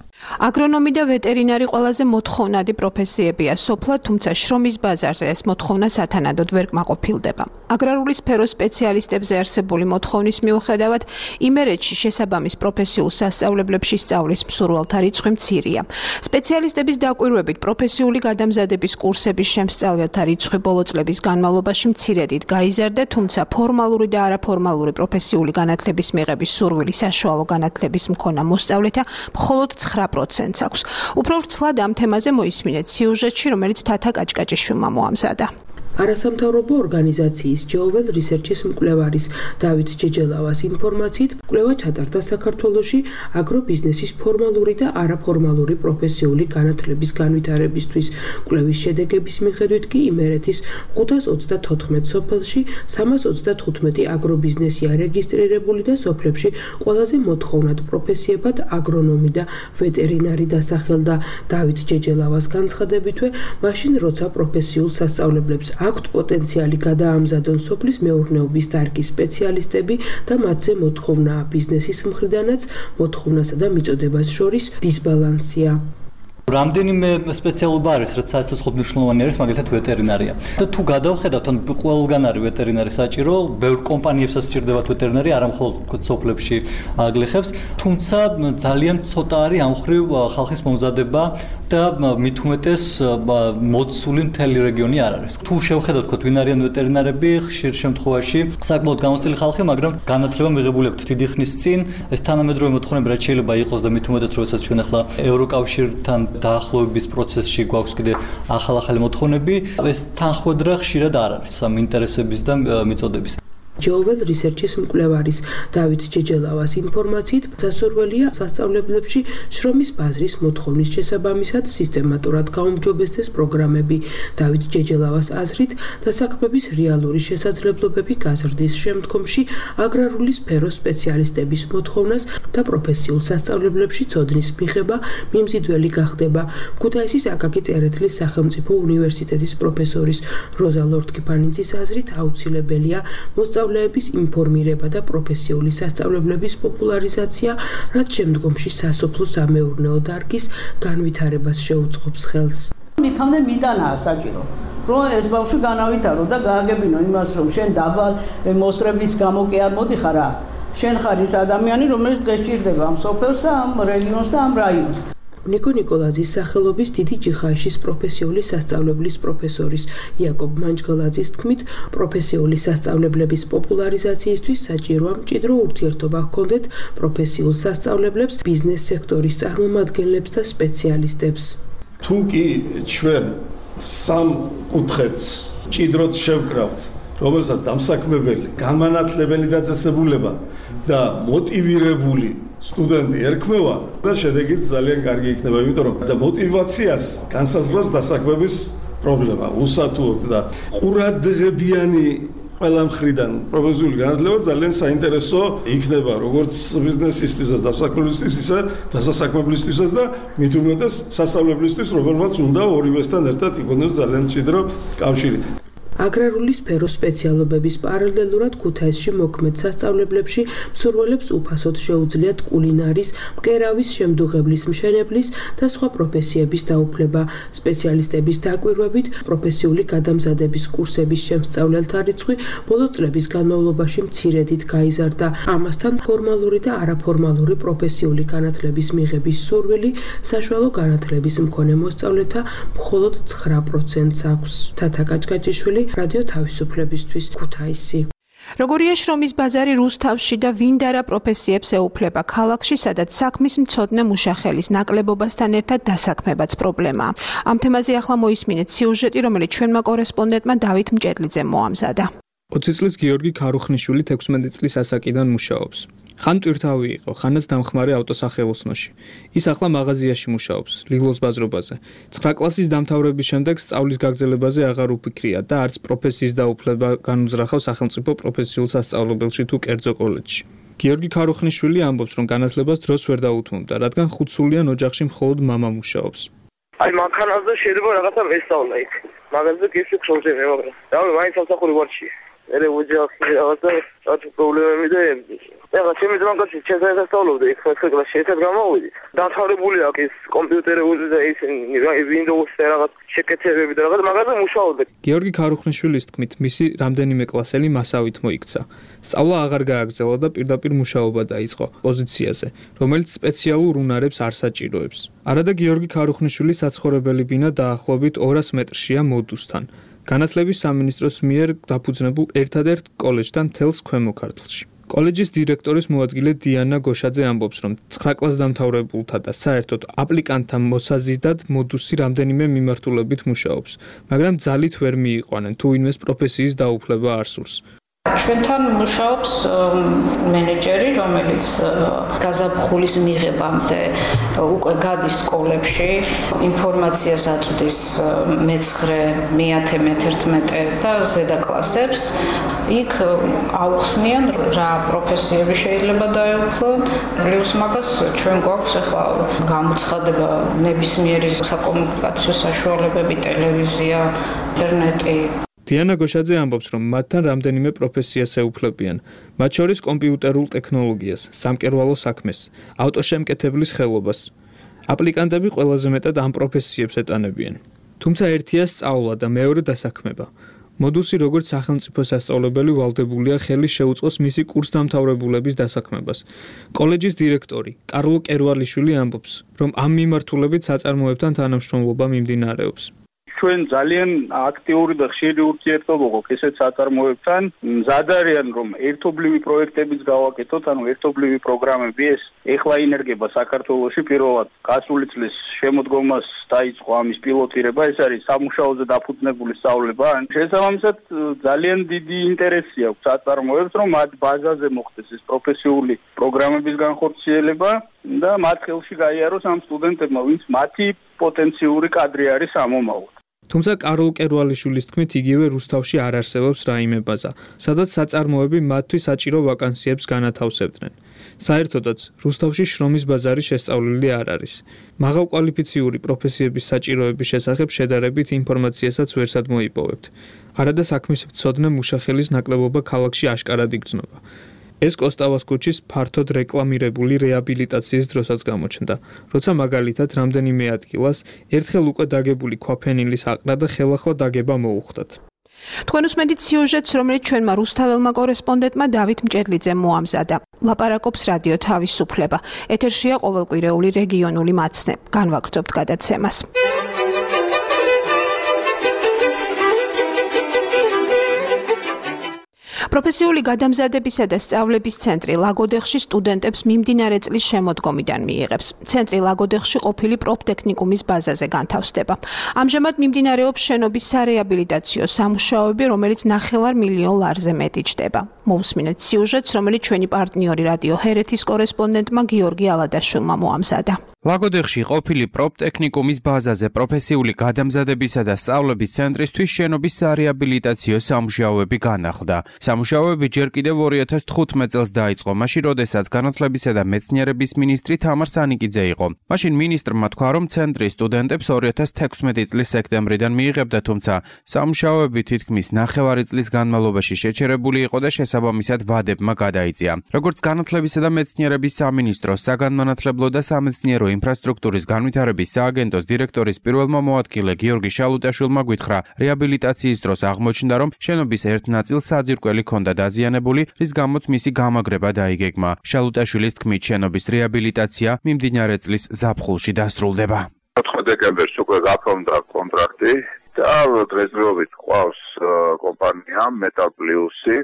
აგრონომი და ვეტერინარი ყველაზე მოთხოვნადი პროფესიებია სოფლად, თუმცა შრომის ბაზარზე ეს მოთხოვნა სათანადოდ ვერ კმაყოფილდება. აგრარული სფეროს სპეციალისტებზე არსებული მოთხოვნის მიუხედავად, იმერეთში შესაბამის პროფესიულ სასწავლებლებში სწავლის მსურველთა რიცხვი მცირეა. სპეციალისტების დაკვირვებით პროფესიული გადამზადების კურსების შემსწავლელთა რიცხვი ბოლო წლების განმავლობაში მცირედით გაიზარდა, თუმცა ფორმალური და არაფორმალური პროფესიული განათლების მიღების სურვილი საშუალო განათლების მქონა მოსწავლეთა მხოლოდ 9%-ს აქვს. უფრო ვრცლად ამ თემაზე მოისმინეთ სიუჟეტში, რომელიც თათა კაჭკაჭიშვილმა მოამზადა. არასამთავრობო ორგანიზაციის ჯეოველ რისერჩის მკვლევარის დავით ჯეჯელავას ინფორმაციით, კვლევა ჩატარდა საქართველოში აგრობიზნესის ფორმალური და არაფორმალური პროფესიული განათლების განვითარებისთვის. კვლევის შედეგების მიხედვით კი იმერეთის 534 სოფელში 335 აგრობიზნესია რეგისტრირებული და სოფლებში ყველაზე მოთხოვნად პროფესიებად აგრონომი და ვეტერინარი დასახელდა. დავით ჯეჯელავას განცხადებითვე, მაშინ როცა პროფესიულ სასწავლებლებს აქვთ პოტენციალი გადაამზადონ სოფლის მეურნეობის დარგის სპეციალისტები და მათზე მოთხოვნაა ბიზნესის მხრიდანაც მოთხოვნასა და მიწოდებას შორის დისბალანსია. რამდენიმე სპეციალობა არის, რაც საერთოდ მნიშვნელოვანი არის, მაგალითად ვეტერინარია. და თუ გადავხედავთ, ან ყველგან არის ვეტერინარი საჭირო, ბევრ კომპანიებსაც სჭირდებათ ვეტერინარი, არა მხოლოდ სოფლებში აგლეხებს, თუმცა ძალიან ცოტა არის ამ ხრივ ხალხის მომზადება და მით უმეტეს მოცული მთელი რეგიონი არ არის. თუ შევხედავთ, თქო, ვინ არიან ვეტერინარები, ხშირ შემთხვევაში საკმაოდ გამოცდილი ხალხი, მაგრამ განათლება მიღებული აქვთ დიდი ხნის წინ. ეს თანამედროვე მოთხოვნები რაც შეიძლება იყოს და მით უმეტეს როდესაც ჩვენ ახლა ევროკავშირთან დაახლოების პროცესში გვაქვს კიდე ახალ-ახალი მოთხოვნები, ეს თანხმედრა ხშირად არ არის ამ ინტერესების და მიწოდების. ჯეოველ რისერჩის მკვლევარის დავით ჯეჯელავას ინფორმაციით, სასურველია სასწავლებლებში შრომის ბაზრის მოთხოვნის შესაბამისად სისტემატურად გაუმჯობესდეს პროგრამები. დავით ჯეჯელავას აზრით, დასაქმების რეალური შესაძლებლობები გაზრდის შემდგომში აგრარული სფეროს სპეციალისტების მოთხოვნას და პროფესიულ სასწავლებლებში ცოდნის მიღება მიმზიდველი გახდება. ქუთაისის აკაკი წერეთლის სახელმწიფო უნივერსიტეტის პროფესორის როზა ლორთქიფანიძის აზრით, აუცილებელია მოსწავლეების ინფორმირება და პროფესიული სასწავლებლების პოპულარიზაცია, რაც შემდგომში სასოფლო-სამეურნეო დარგის განვითარებას შეუწყობს ხელს. მithამდე მიტანაა საჭირო, რომ ეს ბავშვი განავითარო და გააგებინო იმას, რომ შენ დაბალ მოსრების გამო კი არ მოდიხარ რა. შენ ხარ ის ადამიანი, რომელიც დღეს ჭირდება ამ სოფელს და ამ რეგიონს და ამ რაიონს. ნიკო ნიკოლაძის სახელობის დიდი ჯიხაიშის პროფესიული სასწავლებლის პროფესორის იაკობ მანჯგალაძის თქმით, პროფესიული სასწავლებლების პოპულარიზაციისთვის საჭიროა მჭიდრო ურთიერთობა ჰქონდეთ პროფესიულ სასწავლებლებს, ბიზნეს სექტორის წარმომადგენლებს და სპეციალისტებს. თუ კი ჩვენ სამ კუთხეთს მჭიდროდ შევკრავთ, რომელსაც დამსაქმებელი, განმანათლებელი დაწესებულება და მოტივირებული სტუდენტი ერქმევა და შედეგიც ძალიან კარგი იქნება, იმიტომ რომ და მოტივაციას განსაზღვრავს დასაქმების პრობლემა, უსათუოდ და ყურადღებიანი ყველა მხრიდან პროფესიული განათლება ძალიან საინტერესო იქნება, როგორც ბიზნესისთვის და დასაქმებლისთვის, ისე დასაქმებლისთვისაც და მით უმეტეს სასწავლებლისთვის, რომელმაც უნდა ორივესთან ერთად იქონოს ძალიან მჭიდრო კავშირი. აგრარული სფეროს სპეციალობების პარალელურად ქუთაისში მოქმედ სასწავლებლებში მსურველებს უფასოდ შეუძლიათ კულინარის, მკერავის, შემდუღებლის, მშენებლის და სხვა პროფესიების დაუფლება. სპეციალისტების დაკვირვებით, პროფესიული გადამზადების კურსების შემსწავლელთა რიცხვი ბოლო წლების განმავლობაში მცირედით გაიზარდა. ამასთან ფორმალური და არაფორმალური პროფესიული განათლების მიღების სურვილი საშუალო განათლების მქონე მოსწავლეთა მხოლოდ 9%-ს აქვს. თათა კაჭკაჭიშვილი, რადიო თავისუფლებისთვის, ქუთაისი. როგორია შრომის ბაზარი რუსთავში და ვინდარა პროფესიებს ეუფლება ქალაქში, სადაც საქმის მცოდნე მუშახელის ნაკლებობასთან ერთად დასაქმებაც პრობლემაა. ამ თემაზე ახლა მოისმინეთ სიუჟეტი, რომელიც ჩვენმა კორესპონდენტმა დავით მჭედლიძემ მოამზადა. 20 წლის გიორგი ქარუხნიშვილი 16 წლის ასაკიდან მუშაობს. ხან ტვირთავი იყო, ხანაც დამხმარე ავტოსახელოსნოში. ის ახლა მაღაზიაში მუშაობს, ლილოს ბაზრობაზე. 9 კლასის დამთავრების შემდეგ სწავლის გაგრძელებაზე აღარ უფიქრია და არც პროფესიის დაუფლება განუძრახავს სახელმწიფო პროფესიულ სასწავლებელში თუ კერძო კოლეჯში. გიორგი ქარუხნიშვილი ამბობს, რომ განათლებას დროს ვერ დაუთმობდა, რადგან ხუთსულიან ოჯახში მხოლოდ მამა მუშაობს. აი მანქანაზე შეიძლება რაღაცა მესწავლა იქ. მაგაზე გიხსნი პრობლემა, მაგრამ რავი, მაინც სამსახური ვარჩი. მე ოჯახი რაღაცა პრობლემები და ეხლა ჩემი ძმაკაცი ჩემთან სასწავლობდა იქ ხუთი კლასში ერთად გამოვიდით. დამთავრებული აქვს ის კომპიუტერები და ის Windows-ზე რაღაც შეკეთებები და რაღაც მაგაზე მუშაობდა. გიორგი ქარუხნიშვილის თქმით, მისი რამდენიმე კლასელი მასავით მოიქცა. სწავლა აღარ გააგრძელა და პირდაპირ მუშაობა დაიწყო პოზიციაზე, რომელიც სპეციალურ უნარებს არ საჭიროებს. არადა გიორგი ქარუხნიშვილი საცხოვრებელი ბინა დაახლოებით 200 მეტრშია მოდუსთან. განათლების სამინისტროს მიერ დაფუძნებულ ერთადერთ კოლეჯთან მთელს ქვემო ქართლში. კოლეჯის დირექტორის მოადგილე დიანა გოშაძე ამბობს, რომ 9 კლასს დამთავრებულთა და საერთოდ აპლიკანტთა მოსაზიდად მოდუსი რამდენიმე მიმართულებით მუშაობს, მაგრამ ძალით ვერ მიიყვანენ, თუ ვინმეს პროფესიის დაუფლება არ სურს. ჩვენთან მუშაობს მენეჯერი, რომელიც გაზაფხულის მიღებამდე უკვე გადის სკოლებში, ინფორმაციას აწვდის მე-9, მე-10, მე-11 და ზედა კლასებს. იქ აუხსნიან რა პროფესიები შეიძლება დაეუფლონ. პლუს მაგას ჩვენ გვაქვს ახლა გამოცხადება ნებისმიერი საკომუნიკაციო საშუალებები, ტელევიზია, ინტერნეტი. დიანა გოშაძე ამბობს, რომ მათთან რამდენიმე პროფესიას ეუფლებიან, მათ შორის კომპიუტერულ ტექნოლოგიას, სამკერვალო საქმეს, ავტოშემკეთებლის ხელობას. აპლიკანტები ყველაზე მეტად ამ პროფესიებს ეტანებიან. თუმცა ერთია სწავლა და მეორე დასაქმება. მოდუსი როგორც სახელმწიფო სასწავლებელი ვალდებულია ხელი შეუწყოს მისი კურსდამთავრებულების დასაქმებას. კოლეჯის დირექტორი კარლო კერვალიშვილი ამბობს, რომ ამ მიმართულებით საწარმოებთან თანამშრომლობა მიმდინარეობს. ჩვენ ძალიან აქტიური და ხშირი ურთიერთობა გვაქვს ესეთ საწარმოებთან. მზად არიან რომ ერთობლივი პროექტებიც გავაკეთოთ, ანუ ერთობლივი პროგრამები ეს ეხლა ინერგება საქართველოში პირველად გასული წლის შემოდგომას დაიწყო ამის პილოტირება, ეს არის სამუშაოზე დაფუძნებული სწავლება. შესაბამისად ძალიან დიდი ინტერესი აქვს საწარმოებს, რომ მათ ბაზაზე მოხდეს ეს პროფესიული პროგრამების განხორციელება და მათ ხელში გაიაროს ამ სტუდენტებმა, ვინც მათი პოტენციური კადრი არის ამომავალ. თუმცა კარლ კერვალიშვილის თქმით, იგივე რუსთავში არ არსებობს რაიმე ბაზა, სადაც საწარმოები მათთვის საჭირო ვაკანსიებს განათავსებდნენ. საერთოდაც, რუსთავში შრომის ბაზარი შესწავლილი არ არის. მაღალკვალიფიციური პროფესიების საჭიროების შესახებ შედარებით ინფორმაციასაც ვერსად მოიპოვებთ. არადა საქმის მცოდნე მუშახელის ნაკლებობა ქალაქში აშკარად იგრძნობა. ეს კოსტავას ქუჩის ფართოდ რეკლამირებული რეაბილიტაციის დროსაც გამოჩნდა, როცა მაგალითად რამდენიმე ადგილას ერთხელ უკვე დაგებული ქვაფენილის აყრა და ხელახლა დაგება მოუხდათ. თქვენ უსმენთ სიუჟეტს, რომელიც ჩვენმა რუსთაველმა კორესპონდენტმა დავით მჭედლიძემ მოამზადა. ლაპარაკობს რადიო თავისუფლება. ეთერშია ყოველკვირეული რეგიონული მაცნე. განვაგრძობთ გადაცემას. პროფესიული გადამზადებისა და სწავლების ცენტრი ლაგოდეხში სტუდენტებს მიმდინარე წლის შემოდგომიდან მიიღებს. ცენტრი ლაგოდეხში ყოფილი პროფტექნიკუმის ბაზაზე განთავსდება. ამჟამად მიმდინარეობს შენობის სარეაბილიტაციო სამუშაოები, რომელიც 9 მილიონ ლარზე მეტი ჯდება. მოусმინეთ სიუჟეტს, რომელიც ჩვენი პარტნიორი რადიო ჰერეთის კორესპონდენტმა გიორგი ალადაშვილმა მოამზადა. ლაგოდეხში ყოფილი პროფტექნიკუმის ბაზაზე პროფესიული გადამზადებისა და სწავლების ცენტრისთვის შენობის სარეაბილიტაციო სამუშაოები განახლდა. სამუშაოები ჯერ კიდევ 2015 წელს დაიწყო, მაშინ როდესაც განათლებისა და მეცნიერების მინისტრი თამარ სანიკიძე იყო. მაშინ მინისტრმა თქვა, რომ ცენტრის სტუდენტებს 2016 წლის სექტემბრიდან მიიღებდა, თუმცა სამუშაოები თითქმის 9 წლის განმავლობაში შეჩერებული იყო და შესაბამისად ვადებმა გადაიწია. როგორც განათლებისა და მეცნიერების სამინისტროს საგანმანათლებლო და სამეცნიერო ინფრასტრუქტურის განვითარების სააგენტოს დირექტორის პირველმა მოადგილე გიორგი შალუტაშვილმა გითხრა, რეაბილიტაციის დროს აღმოჩნდა, რომ შენობის ერთ ნაწილს საძირკველი ჰქონდა დაზიანებული, რის გამოც მისი გამაგრება დაიგეგმა. შალუტაშვილის თქმით, შენობის რეაბილიტაცია მიმდინარე წლის ზაფხულში დასრულდება. 4 დეკემბერს უკვე გაფორმდა კონტრაქტი და დღესდღეობით ყავს კომპანია Metal Plus-ი,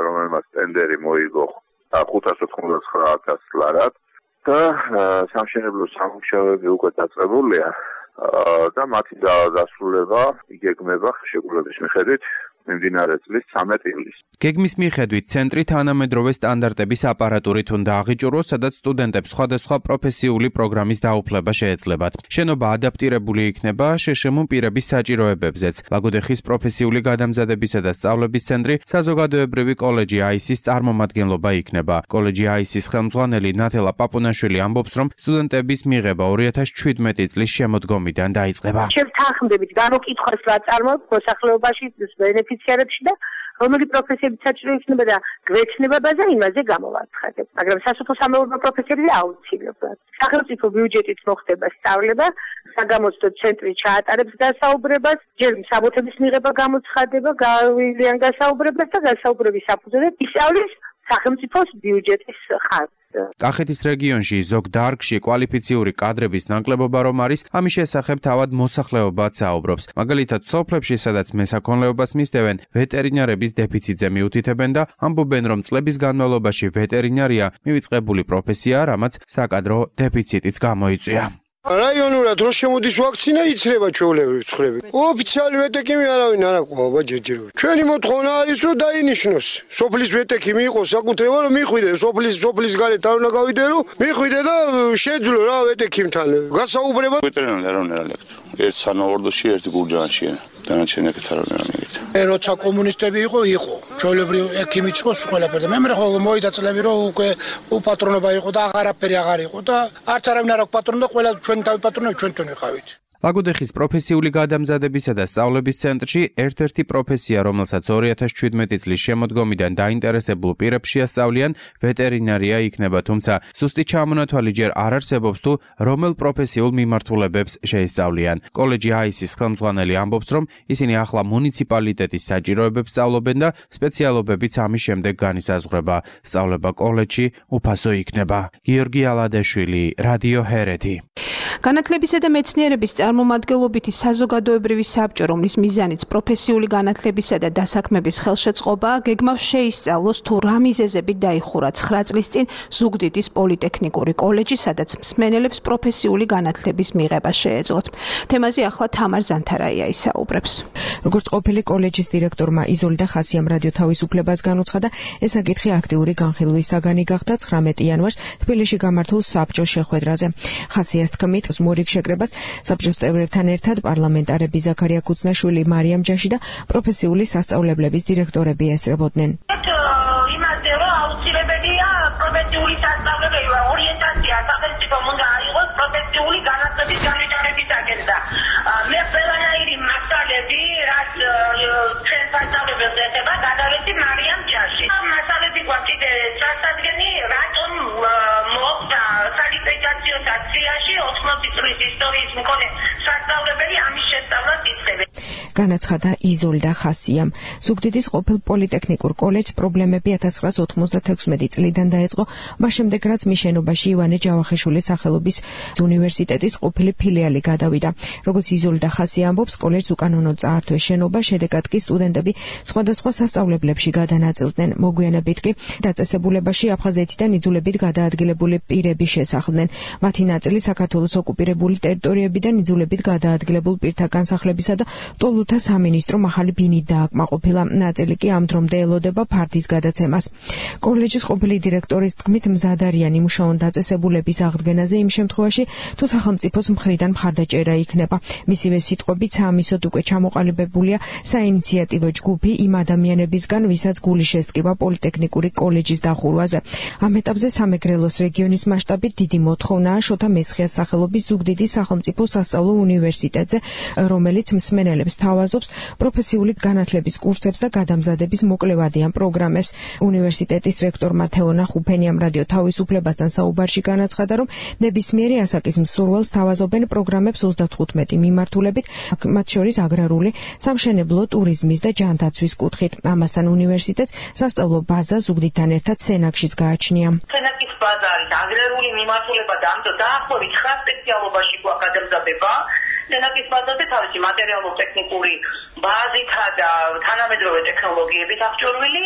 რომელმაც ტენდერი მოიგო 599,000 ლარად. და სამშენებლო სამუშაოები უკვე დაწყებულია და მათი დასრულება იგეგმება შეგულების მიხედვით მიმდინარე წლის 13 ივლისს. გეგმის მიხედვით ცენტრი თანამედროვე სტანდარტების აპარატურით უნდა აღიჭუროს, სადაც სტუდენტებს სხვადასხვა პროფესიული პროგრამის დაუფლება შეეძლებათ. შენობა ადაპტირებული იქნება შეშემო პირების საჭიროებებზეც. ლაგოდეხის პროფესიული გადამზადებისა და სწავლების ცენტრი საზოგადოებრივი კოლეჯი AIS-ის წარმომადგენლობა იქნება. კოლეჯი AIS-ის ხელმძღვანელი ნათელა პაპუნაშვილი ამბობს, რომ სტუდენტების მიღება 2017 წლის შემოდგომიდან დაიწყება. შევთანხმდებით განუკითხოს რა წარმოებს მოსახლეობაში ბენეფიციარებში და რომელი პროფესიები საჭირო იქნება და გვეცნებაზე იმაზე გამოვაცხადებ. მაგრამ სასოფლო-სამეურნეო პროფესიები აუცილებლად. სახელმწიფო ბიუჯეტით მოხდება სწავლება, საგამოცდო ცენტრი ჩაატარებს გასაუბრებას, ჯერ საბუთების მიღება გამოცხადება, გავივლიან გასაუბრებას და გასაუბრების საფუძველზე ისწავლის სახელმწიფოს ბიუჯეტის ხარჯს. კახეთის რეგიონში ზოგ დარგში კვალიფიციური კადრების ნაკლებობა რომ არის, ამის შესახებ თავად მოსახლეობაც საუბრობს. მაგალითად, სოფლებში, სადაც მესაქონლეობას მისდევენ, ვეტერინარების დეფიციტზე მიუთითებენ და ამბობენ, რომ წლების განმავლობაში ვეტერინარია მივიწყებული პროფესიაა, რამაც საკადრო დეფიციტიც გამოიწვია. რაიონურად რო შემოდის ვაქცინა იცრება ჩვეულებრივ ცხრები. ოფიციალი ვეტეკიმი არავინ არ აყვავა ჯერჯერობით. ჩვენი მოთხოვნა არის რომ დაინიშნოს. სოფლის ვეტეკიმი იყოს საკუთრება რომ მიხვიდე სოფლის გარეთ არ უნდა გავიდე რომ მიხვიდე და შეძლო რა ვეტეკიმთან. გასაუბრება ვეტერინარი არავინ არ ელექტრო. ერთ სანავარდოში, ერთი გურჯაანშია. დანარჩენი ეგეც არავინ არ ელექტრო. როცა კომუნისტები იყო. ჩვეულებრივ ექიმიც იყო ყველაფერი. მე ხოლმე მოიდა წლები რომ უკვე უპატრონობა იყო და აღარაფერი აღარ იყო და არც არავინ არ აქვს პატრონი და ყველა ჩვენი თავი პატრონები ჩვენთან ვიყავით. ლაგოდეხის პროფესიული გადამზადებისა და სწავლების ცენტრში ერთ-ერთი პროფესია, რომელსაც 2017 წლის შემოდგომიდან დაინტერესებულ პირებს შეასწავლიან, ვეტერინარია იქნება, თუმცა სუსტი ჩამონათვალი ჯერ არ არსებობს თუ რომელ პროფესიულ მიმართულებებს შეესწავლიან. კოლეჯი AIS-ის ხელმძღვანელი ამბობს, რომ ისინი ახლა მუნიციპალიტეტის საჭიროებებს სწავლობენ და სპეციალობებიც ამის შემდეგ განისაზღვრება. სწავლება კოლეჯში უფასო იქნება. გიორგი ალადეშვილი, რადიო ჰერეთი. განათლებისა და მეცნიერების წარმომადგენლობითი საზოგადოებრივი საბჭო, რომლის მიზანიც პროფესიული განათლებისა და დასაქმების ხელშეწყობაა, გეგმავს შეისწავლოს თუ რა მიზეზებით დაიხურა 9 წლის წინ ზუგდიდის პოლიტექნიკური კოლეჯი, სადაც მსმენელებს პროფესიული განათლების მიღება შეეძლოთ. თემაზე ახლა თამარ ზანთარაია ისაუბრებს. როგორც ყოფილი კოლეჯის დირექტორმა იზოლდა ხასიამ რადიო თავისუფლებას განუცხადა, ეს საკითხი აქტიური განხილვის საგანი გახდა 19 იანვარს თბილისში გამართულ საბჭოს შეხვედრაზე. ხასიას თქმით, მორიგ შეკრებას საბჭოს წევრებთან ერთად პარლამენტარები ზაქარია ქუცნაშვილი, მარიამ ჯაში და პროფესიული სასწავლებლების დირექტორები ესწრებოდნენ. იმაზე რომ აუცილებელია პროფესიული სასწავლებელი ორიენტაცია სახელმწიფომ უნდა აიღოს პროფესიული განათლების განვითარებისაკენ და მე ყველანაირი მასალები რაც ჩვენ სასწავლებელს ეხება გადავეცი მარიამ ჯაში. მასალები გვაქვს კიდე წარსადგენი რატომ მოხდა სალიფიკაციო დაციაში 80 წლის ისტორიის მქონე სასწავლებელი ამის შესწავლას იწყებენ. განაცხადა იზოლდა ხასიამ. ზუგდიდის ყოფილ პოლიტექნიკურ კოლეჯს პრობლემები 1996 წლიდან დაეწყო, მას შემდეგ რაც მის შენობაში ივანე ჯავახიშვილის სახელობის უნივერსიტეტის ყოფილი ფილიალი გადავიდა. როგორც იზოლდა ხასი ამბობს, კოლეჯს უკანონოდ წაართვეს შენობა, შედეგად კი სტუდენტები სხვადასხვა სასწავლებლებში გადანაწილდნენ. მოგვიანებით კი დაწესებულებაში აფხაზეთიდან იძულებით გადაადგილებული პირები შესახლდნენ. მათი ნაწილი საქართველოს ოკუპირებული ტერიტორიებიდან იძულებით გადაადგილებულ პირთა განსახლებისა და ტოლუთა სამინისტრო მაღალი ბინით დააკმაყოფილა. ნაწილი კი ამ დრომდე ელოდება ფარდის გადაცემას. კოლეჯის ყოფილი დირექტორის თქმით, მზად არიან იმუშაონ დაწესებულების აღდგენაზე იმ შემთხვევაში, თუ სახელმწიფოს მხრიდან მხარდაჭერა იქნება. მისივე სიტყვებით, საამისოდ უკვე ჩამოყალიბებულია საინიციატივო ჯგუფი იმ ადამიანებისგან, ვისაც გული შესტკივა პოლიტექნიკური კოლეჯის დახურვაზე. ამ ეტაპზე სამეგრელოს რეგიონის მასშტაბით დიდი მოთხოვნაა შოთა მესხიას სახელობის ზუგდიდის სახელმწიფო სასწავლო უნივერსიტეტზე, რომელიც მსმენელებს თავაზობს პროფესიული განათლების კურსებს და გადამზადების მოკლევადიან პროგრამებს. უნივერსიტეტის რექტორმა თეონა ხუფენიამ რადიო თავისუფლებასთან საუბარში განაცხადა, რომ ნებისმიერი ასაკის მსურველს თავაზობენ პროგრამებს 35 მიმართულებით, მათ შორის აგრარული, სამშენებლო, ტურიზმის და ჯანდაცვის კუთხით. ამასთან უნივერსიტეტს სასწავლო ბაზა ზუგდიდთან ერთად სენაკშიც გააჩნია. სენაკის ბაზა არის აგრარული მიმართულება და ამ დაახლოებით 9 სპეციალობაში გვაქვს გადამზადება. სენაკის ბაზაზე თავისი მატერიალურ-ტექნიკური ბაზითა და თანამედროვე ტექნოლოგიებით აღჭურვილი,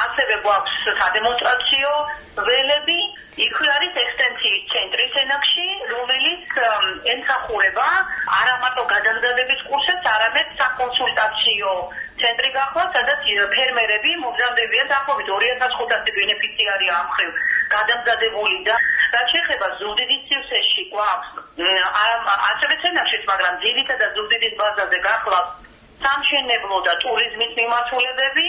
ასევე გვაქვს სადემონსტრაციო ველები. იქვე არის ექსტენსიის ცენტრი სენაკში, რომელიც ემსახურება არა მარტო გადამზადების კურსებს, არამედ საკონსულტაციო ცენტრი ახლა სადაც ფერმერები მომზადებიან დაახლოებით 2500 ბენეფიციარია ამ ხრივ გადამზადებული და რაც შეეხება ზუგდიდის სივრცეში გვაქვს ასევე ცენაშიც, მაგრამ ძირითადად ზუგდიდის ბაზაზე გახლავს სამშენებლო და ტურიზმის მიმართულებები.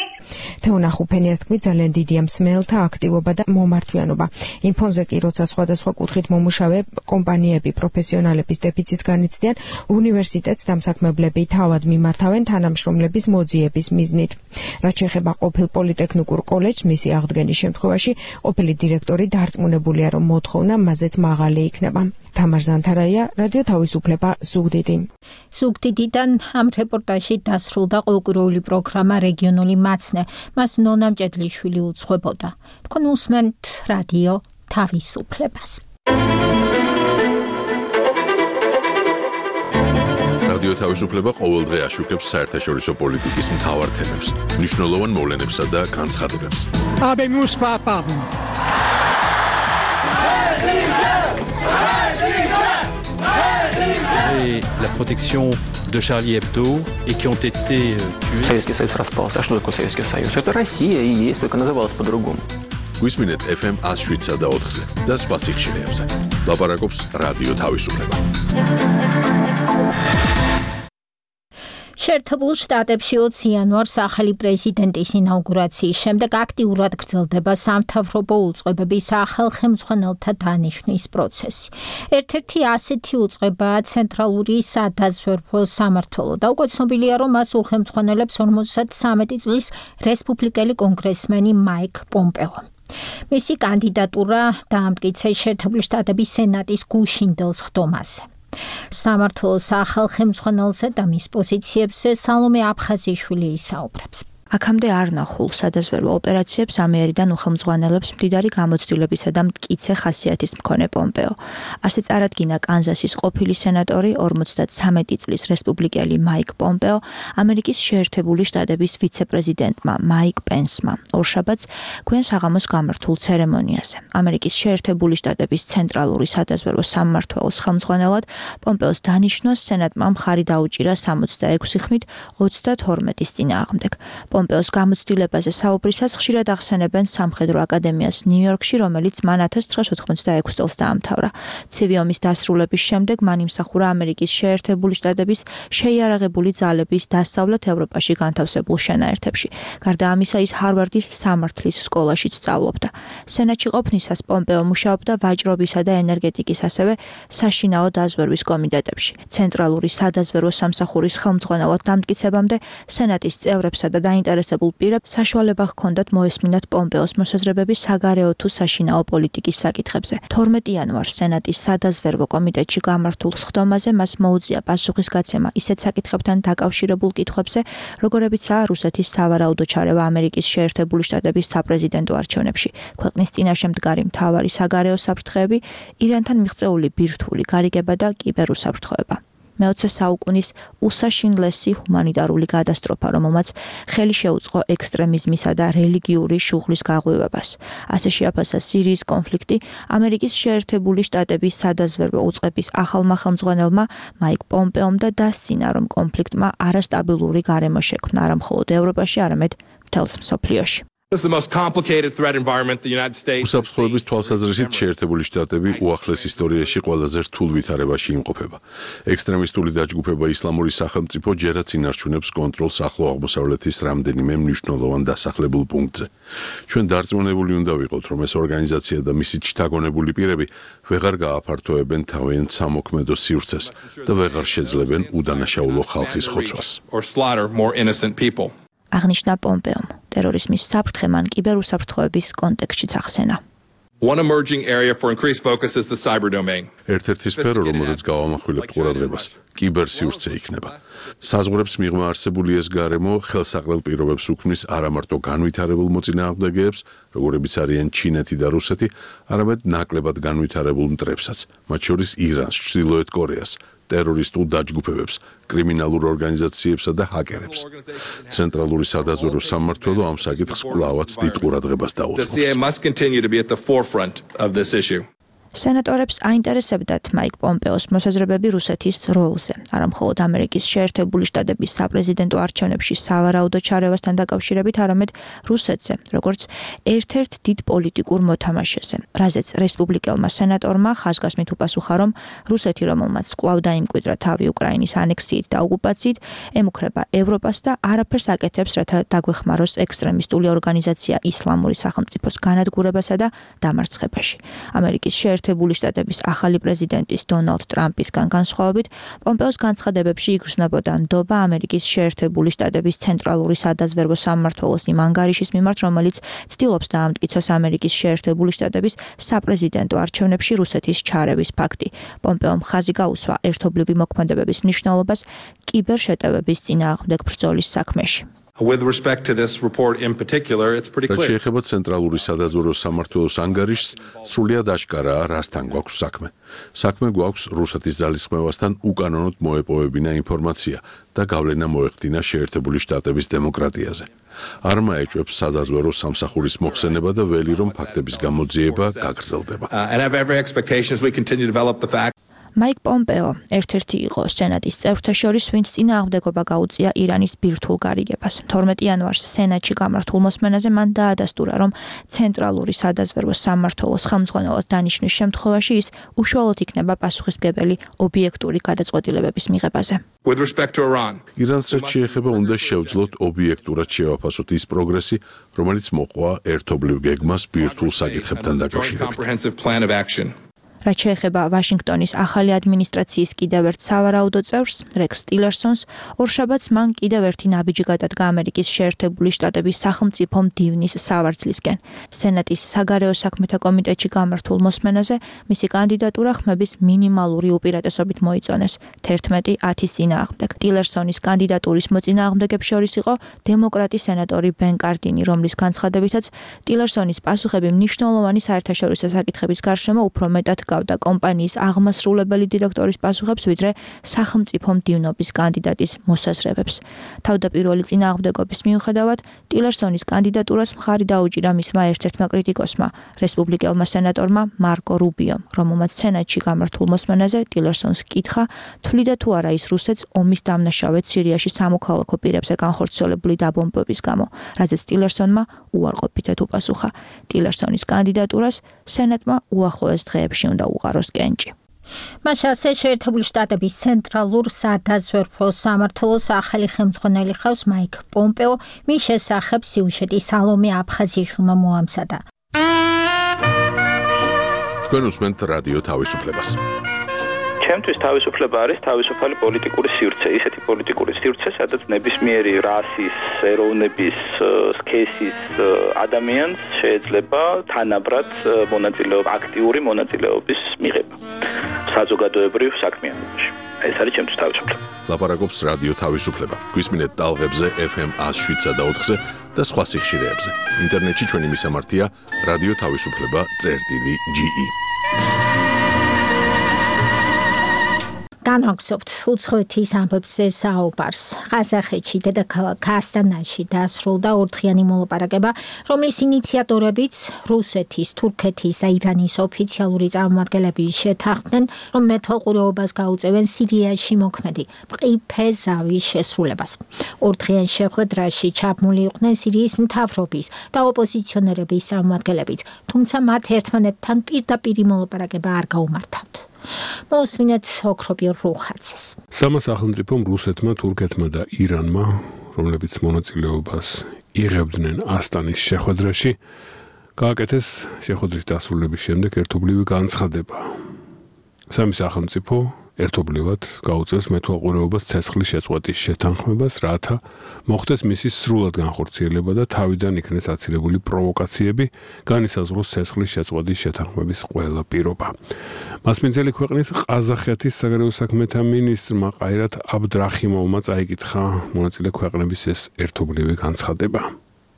თეონა ხუფენიას თქმით, ძალიან დიდია მსმენელთა აქტივობა და მომართვიანობა. იმ ფონზე კი, როცა სხვადასხვა კუთხით მომუშავე კომპანიები პროფესიონალების დეფიციტს განიცდიან, უნივერსიტეტს დამსაქმებლები თავად მიმართავენ თანამშრომლების მოძიების მიზნით. რაც შეეხება ყოფილ პოლიტექნიკურ კოლეჯს, მისი აღდგენის შემთხვევაში ყოფილი დირექტორი დარწმუნებულია, რომ მოთხოვნა მაზეც მაღალი იქნება. თამარ ზანთარაია, რადიო თავისუფლება, ზუგდიდი. ზუგდიდიდან ამ რეპორტაჟში დასრულდა ყოლკურული პროგრამა რეგიონული მაცნე. მას ნონა მჭედლიშვილი უძღვებოდა. თქვენ უსმენთ რადიო თავისუფლებას. რადიო თავისუფლება ყოველდღე აშუქებს საერთაშორისო პოლიტიკის მთავარ თემებს, მნიშვნელოვან მოვლენებსა და განცხადებებს. Et la protection de Charlie Hebdo et qui ont été tués. Советский Союз распался. А что такое Советский Союз? Это Россия и есть, только называлась по-другому. Გვისმინეთ FM 107 და 4-ზე და სხვა სიხშირეებზე. ლაპარაკობს რადიო თავისუფლება. შეერთებულ შტატებში 20 იანვარს ახალი პრეზიდენტის ინაუგურაციის შემდეგ აქტიურად გრძელდება სამთავრობო უწყებების სახელმძღვანელთა დანიშვნის პროცესი. ერთ-ერთი ასეთი უწყებაა ცენტრალური სადაზვერვო სამმართველო და უკვე ცნობილია, რომ მას უხელმძღვანელებს 53 წლის რესპუბლიკელი კონგრესმენი მაიკ პომპეო. მისი კანდიდატურა დაამტკიცეს შეერთებული შტატების სენატის გუშინდელ სხდომაზე. სამმართველოს სახელმძღვანელზე და მის პოზიციებზე სალომე აფხაზიშვილი ისაუბრებს. აქამდე არ ნახულ სადაზვერვო ოპერაციებს ამიერიდან უხელმძღვანელებს მდიდარი გამოცდილებისა და მტკიცე ხასიათის მქონე პომპეო. ასე წარადგინა კანზასის ყოფილი სენატორი 53 წლის რესპუბლიკელი მაიკ პომპეო ამერიკის შეერთებული შტატების ვიცე-პრეზიდენტმა მაიკ პენსმა ორშაბათს გვიან საღამოს გამართულ ცერემონიაზე. ამერიკის შეერთებული შტატების ცენტრალური სადაზვერვო სამმართველოს ხელმძღვანელად პომპეოს დანიშვნას სენატმა მხარი დაუჭირა 66 ხმით 32-ის წინააღმდეგ. პომპეოს გამოცდილებაზე საუბრისას ხშირად ახსენებენ სამხედრო აკადემიას ნიუ-იორკში, რომელიც მან 1986 წელს დაამთავრა. ცივი ომის დასრულების შემდეგ მან იმსახურა ამერიკის შეერთებული შტატების შეიარაღებული ძალების დასავლეთ ევროპაში განთავსებულ შენაერთებში. გარდა ამისა, ის ჰარვარდის სამართლის სკოლაშიც სწავლობდა. სენატში ყოფნისას პომპეო მუშაობდა ვაჭრობისა და ენერგეტიკის, ასევე საშინაო დაზვერვის კომიტეტებში. ცენტრალური სადაზვერვო სამსახურის ხელმძღვანელად დამტკიცებამდე სენატის წევრებსა და დაინტერესებულ პირებს საშუალება ჰქონდათ მოესმინათ პომპეოს მოსაზრებები საგარეო თუ საშინაო პოლიტიკის საკითხებზე. 12 იანვარს სენატის სადაზვერვო კომიტეტში გამართულ სხდომაზე მას მოუწია პასუხისგაცემა ისეთ საკითხებთან დაკავშირებულ კითხვებზე, როგორებიცაა რუსეთის სავარაუდო ჩარევა ამერიკის შეერთებული შტატების საპრეზიდენტო არჩევნებში, ქვეყნის წინაშე მდგარი მთავარი საგარეო საფრთხეები, ირანთან მიღწეული ბირთვული გარიგება და კიბერუსაფრთხოება. მე-20 საუკუნის უსაშინლესი ჰუმანიტარული კატასტროფა, რომელმაც ხელი შეუწყო ექსტრემიზმისა და რელიგიური შუღლის გაღვივებას. ასე შეაფასა სირიის კონფლიქტი ამერიკის შეერთებული შტატების სადაზვერვო უწყების ახალმა ხელმძღვანელმა მაიკ პომპეომ და დასცინა, რომ კონფლიქტმა არასტაბილური გარემო შექმნა არა მხოლოდ ევროპაში, არამედ მთელს მსოფლიოში. This is the most complicated threat environment the United States. უსაფრთხოების თვალსაზრისით შეერთებული შტატები უახლეს ისტორიაში ყველაზე რთულ ვითარებაში იმყოფება. ექსტრემისტული დაჯგუფება ისლამური სახელმწიფო ჯერაც ინარჩუნებს კონტროლს ახლო აღმოსავლეთის რამდენიმე მნიშვნელოვან დასახლებულ პუნქტზე. ჩვენ დარწმუნებული უნდა ვიყოთ, რომ ეს ორგანიზაცია და მისი შთაგონებული პირები ვეღარ გააფართოებენ თავიანთ სამოქმედო სივრცეს და ვეღარ შეძლებენ უდანაშაულო ხალხის ხოცვას. აღნიშნა პომპეომ. ტერორიზმის საფრთხე მან კიბერუსაფრთხოების კონტექსტშიც ახსენა. One emerging area for increased focus is the cyber domain. ერთ-ერთი სფერო, რომელზეც გავამახვილებთ ყურადღებას, კიბერსივრცე იქნება. საზღვრებს მიღმა არსებული ეს გარემო ხელსაყრელ პირობებს უქმნის არა მარტო განვითარებულ მოწინააღმდეგეებს, როგორებიც არიან ჩინეთი და რუსეთი, არამედ ნაკლებად განვითარებულ მტრებსაც, მათ შორის ირანს, ჩრდილოეთ კორეას, ტერორისტულ დაჯგუფებებს, კრიმინალურ ორგანიზაციებსა და ჰაკერებს. ცენტრალური სადაზვერვო სამმართველო ამ საკითხს კვლავაც დიდ ყურადღებას დაუთმობს. სენატორებს აინტერესებდათ მაიკ პომპეოს მოსაზრებები რუსეთის როლზე, არა მხოლოდ ამერიკის შეერთებული შტატების საპრეზიდენტო არჩევნებში სავარაუდო ჩარევასთან დაკავშირებით, არამედ რუსეთზე, როგორც ერთ-ერთ დიდ პოლიტიკურ მოთამაშეზე, რაზეც რესპუბლიკელმა სენატორმა ხაზგასმით უპასუხა, რომ რუსეთი, რომელმაც კვლავ დაიმკვიდრა თავი უკრაინის ანექსიით და ოკუპაციით, ემუქრება ევროპას და არაფერს აკეთებს, რათა დაგვეხმაროს ექსტრემისტული ორგანიზაცია ისლამური სახელმწიფოს განადგურებასა და დამარცხებაში. ამერიკის შეერთებული შტატების ახალი პრეზიდენტის დონალდ ტრამპისგან განსხვავებით, პომპეოს განცხადებებში იგრძნობოდა ნდობა ამერიკის შეერთებული შტატების ცენტრალური სადაზვერვო სამმართველოს იმ ანგარიშის მიმართ, რომელიც ცდილობს დაამტკიცოს ამერიკის შეერთებული შტატების საპრეზიდენტო არჩევნებში რუსეთის ჩარევის ფაქტი. პომპეომ ხაზი გაუსვა ერთობლივი მოქმედებების მნიშვნელობას კიბერშეტევების წინააღმდეგ ბრძოლის საქმეში. With respect to this report in particular, it's pretty clear. შეეხება ცენტრალური სადაზვერვო სამმართველოს ანგარიშს, სრულიად აშკარაა, რასთან გვაქვს საქმე. საქმე გვაქვს რუსეთის ძალისხმევასთან უკანონოდ მოეპოვებინა ინფორმაცია და გავლენა მოეხდინა შეერთებული შტატების დემოკრატიაზე. არ მაეჭვებს სადაზვერვო სამსახურის მოხსენება და ველი რომ ფაქტების გამოძიება გაგრძელდება. And have every expectations we continue to develop the fact. მაიკ პომპეო ერთ-ერთი იყო სენატის წევრთა შორის, ვინც წინააღმდეგობა გაუწია ირანის ბირთვულ გარიგებას. 12 იანვარს სენატში გამართულ მოსმენაზე მან დაადასტურა, რომ ცენტრალური სადაზვერვო სამმართველოს ხელმძღვანელად დანიშნვის შემთხვევაში ის უშუალოდ იქნება პასუხისმგებელი ობიექტური გადაწყვეტილებების მიღებაზე. With respect to Iran, ირანს რაც შეეხება, უნდა შევძლოთ ობიექტურად შევაფასოთ ის პროგრესი, რომელიც მოყვა ერთობლივ გეგმას ბირთვულ საკითხებთან დაკავშირებით. რაც შეეხება ვაშინგტონის ახალი ადმინისტრაციის კიდევ ერთ სავარაუდო წევრს, რეკს ტილერსონს, ორშაბათს მან კიდევ ერთი ნაბიჯი გადადგა ამერიკის შეერთებული შტატების სახელმწიფო მდივნის სავარძლისკენ. სენატის საგარეო საქმეთა კომიტეტში გამართულ მოსმენაზე მისი კანდიდატურა ხმების მინიმალური უპირატესობით მოიწონეს 11-10 წინააღმდეგ. ტილერსონის კანდიდატურის მოწინააღმდეგებს შორის იყო დემოკრატი სენატორი ბენ კარდინი, რომლის განცხადებითაც ტილერსონის პასუხები მნიშვნელოვანი საერთაშორისო საკითხების გარშემო უფრო მეტად გავდა კომპანიის აღმასრულებელი დირექტორის პასუხებს, ვიდრე სახელმწიფო მდივნობის კანდიდატის მოსაზრებებს. თავდაპირველი წინააღმდეგობის მიუხედავად, ტილერსონის კანდიდატურას მხარი დაუჭირა მისმა ერთ-ერთმა კრიტიკოსმა, რესპუბლიკელმა სენატორმა მარკო რუბიომ, რომელმაც სენატში გამართულ მოსმენაზე ტილერსონს კითხა, თვლიდა თუ არა ის რუსეთს ომის დამნაშავედ სირიაში სამოქალაქო პირებზე განხორციელებული დაბომბვების გამო, რაზეც ტილერსონმა უარყოფითად უპასუხა. ტილერსონის კანდიდატურას სენატმა უახლოეს დღეებში უნდა უყაროს კენჭი. მას ასე შეერთებული შტატების ცენტრალურ სადაზვერვო სამმართველოს ახალი ხელმძღვანელი ხავს მაიკ პომპეო, მის შესახებ სიუჟეტი სალომე აფხაზიაშვილმა მოამზადა. თქვენ უსმენთ რადიო თავისუფლებას. ჩემთვის თავისუფლება არის თავისუფალი პოლიტიკური სივრცე, ისეთი პოლიტიკური სივრცე, სადაც ნებისმიერი რასის, ეროვნების, სქესის ადამიანს შეიძლება თანაბრად აქტიური მონაწილეობის მიღება საზოგადოებრივ საქმიანობაში. ეს არის ჩემთვის თავისუფლება. ლაპარაკობს რადიო თავისუფლება. გვისმინეთ ტალღებზე FM 107 და 4-ზე და სხვა სიხშირეებზე. ინტერნეტში ჩვენი მისამართია რადიო თავისუფლება.ge. განაგზობთ უცხოეთის ამბებზე საუბარს. ყაზახეთში დედაქალაქ ასტანაში დასრულდა ორდღიანი მოლაპარაკება, რომლის ინიციატორებიც რუსეთის, თურქეთის და ირანის ოფიციალური წარმომადგენლები შეთანხმდნენ, რომ მეთვალყურეობას გაუწევენ სირიაში მოქმედი მყიფე ზავის შესრულებას. ორდღიან შეხვედრაში ჩაბმული იყვნენ სირიის მთავრობის და ოპოზიციონერების წარმომადგენლებიც, თუმცა მათ ერთმანეთთან პირდაპირი მოლაპარაკება არ გაუმართავთ. მოსმინეთ ოქროპიერ რუხაძეს. სამა სახელმწიფომ რუსეთმა, თურქეთმა და ირანმა, რომლებიც მონაწილეობას იღებდნენ ასტანის შეხვედრაში, გააკეთეს შეხვედრის დასრულების შემდეგ ერთობლივი განცხადება. სამი სახელმწიფო ერთობლივად გაუწევს მეთვალყურეობას ცეცხლის შეწყვეტის შეთანხმებას, რათა მოხდეს მისი სრულად განხორციელება და თავიდან იქნეს აცილებული პროვოკაციები, განისაზღვროს ცეცხლის შეწყვეტის შეთანხმების ყველა პირობა. მასპინძელი ქვეყნის ყაზახეთის საგარეო საქმეთა მინისტრმა ყაირათ აბდრახიმოვმა წაიკითხა მონაწილე ქვეყნების ეს ერთობლივი განცხადება.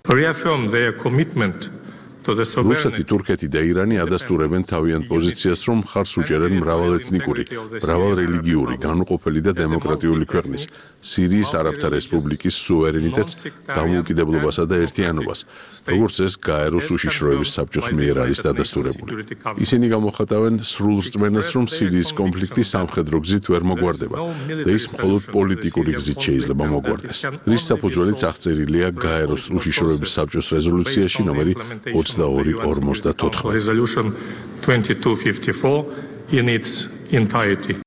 Reaffirm their commitment რუსეთი, თურქეთი და ირანი ადასტურებენ თავიანთ პოზიციას, რომ მხარს უჭერენ მრავალეთნიკური, მრავალრელიგიური, განუყოფელი და დემოკრატიული ქვეყნის, სირიის არაბთა რესპუბლიკის სუვერენიტეტს, დამოუკიდებლობასა და ერთიანობას, როგორც ეს გაეროს უშიშროების საბჭოს მიერ არის დადასტურებული. ისინი გამოხატავენ სრულ რწმენას, რომ სირიის კონფლიქტი სამხედრო გზით ვერ მოგვარდება და ის მხოლოდ პოლიტიკური გზით შეიძლება მოგვარდეს. რის საფუძველიც აღწერილია გაეროს უშიშროების საბჭოს რეზოლუციაში ნომერი 2254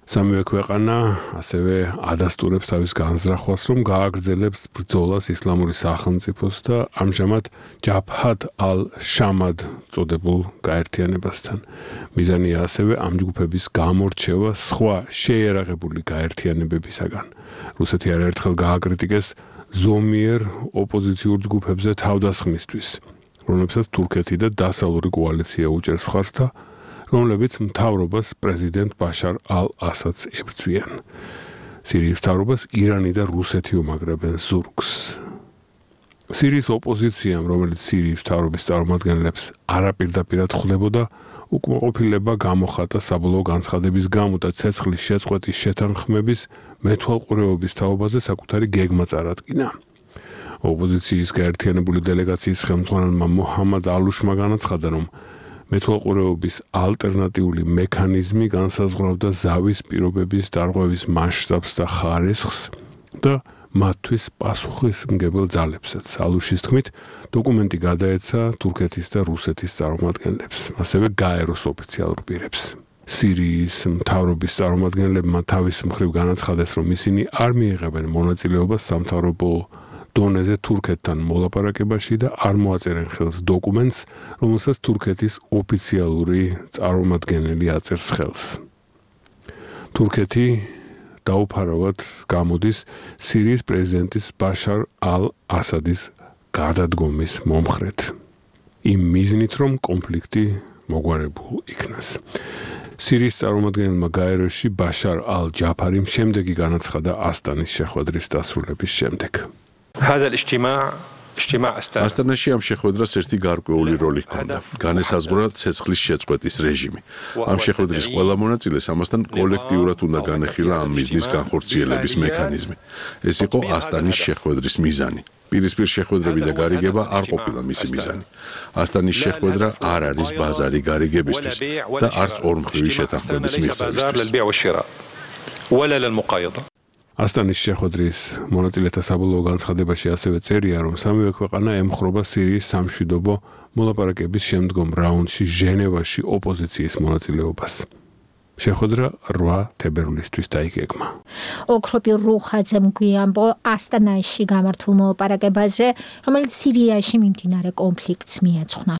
სამივე ქვეყანა ასევე ადასტურებს თავის განზრახვას, რომ გააგრძელებს ბრძოლას ისლამური სახელმწიფოს და ამჟამად ჯაბჰათ ალ-შამად წოდებულ გაერთიანებასთან. მიზანია ასევე ამ ჯგუფების გამორჩევა სხვა შეიარაღებული გაერთიანებებისაგან. რუსეთი არაერთხელ გააკრიტიკეს ზომიერ ოპოზიციურ ჯგუფებზე თავდასხმისთვის, რომლებსაც თურქეთი და დასავლური კოალიცია უჭერს მხარს და რომლებიც მთავრობას პრეზიდენტ ბაშარ ალ-ასადს ებრძვიან. სირიის მთავრობას ირანი და რუსეთი უმაგრებენ ზურგს. სირიის ოპოზიციამ, რომელიც სირიის მთავრობის წარმომადგენლებს არაპირდაპირად ხვდებოდა, უკმაყოფილება გამოხატა საბოლოო განცხადების გამო და ცეცხლის შეწყვეტის შეთანხმების მეთვალყურეობის თაობაზე საკუთარი გეგმა წარადგინა. ოპოზიციის გაერთიანებული დელეგაციის ხელმძღვანელმა მოჰამად ალუშმა განაცხადა, რომ მეთვალყურეობის ალტერნატიული მექანიზმი განსაზღვრავდა ზავის პირობების დარღვევის მასშტაბს და ხარისხს და მათთვის პასუხისმგებელ ძალებსაც. ალუშის თქმით, დოკუმენტი გადაეცა თურქეთის და რუსეთის წარმომადგენლებს, ასევე გაეროს ოფიციალურ პირებს. სირიის მთავრობის წარმომადგენლებმა თავის მხრივ განაცხადეს, რომ ისინი არ მიიღებენ მონაწილეობას სამთავრობო დონეზე თურქეთთან მოლაპარაკებაში და არ მოაწერენ ხელს დოკუმენტს, რომელსაც თურქეთის ოფიციალური წარმომადგენელი აწერს ხელს. თურქეთი დაუფარავად გამოდის სირიის პრეზიდენტის ბაშარ ალ-ასადის გადადგომის მომხრედ. იმ მიზნით, რომ კონფლიქტი მოგვარებულ იქნას. სირიის წარმომადგენელმა გაეროში ბაშარ ალ-ჯაფარიმ შემდეგი განაცხადა ასტანის შეხვედრის დასრულების შემდეგ. ასტანაში ამ შეხვედრას ერთი გარკვეული როლი ჰქონდა. განესაზღვრა ცეცხლის შეწყვეტის რეჟიმი. ამ შეხვედრის ყველა მონაწილეს ამასთან კოლექტიურად უნდა განეხილა ამ მიზნის განხორციელების მექანიზმი. ეს იყო ასტანის შეხვედრის მიზანი. პირისპირ შეხვედრები და გარიგება არ ყოფილა მისი მიზანი. ასტანის შეხვედრა არ არის ბაზარი გარიგებისთვის და არც ორმხრივი შეთანხმების მიღწევისთვის. ასტანის შეხვედრის მონაწილეთა საბოლოო განცხადებაში ასევე წერია, რომ სამივე ქვეყანა ემხრობა სირიის სამშვიდობო მოლაპარაკების შემდგომ რაუნდში ჟენევაში ოპოზიციის მონაწილეობას. შეხვედრა 8 თებერვლისთვის დაიგეგმა. ოქროპი რუხაძემ გვიამბო ასტანაში გამართულ მოლაპარაკებაზე, რომელიც სირიაში მიმდინარე კონფლიქტს მიეძღვნა.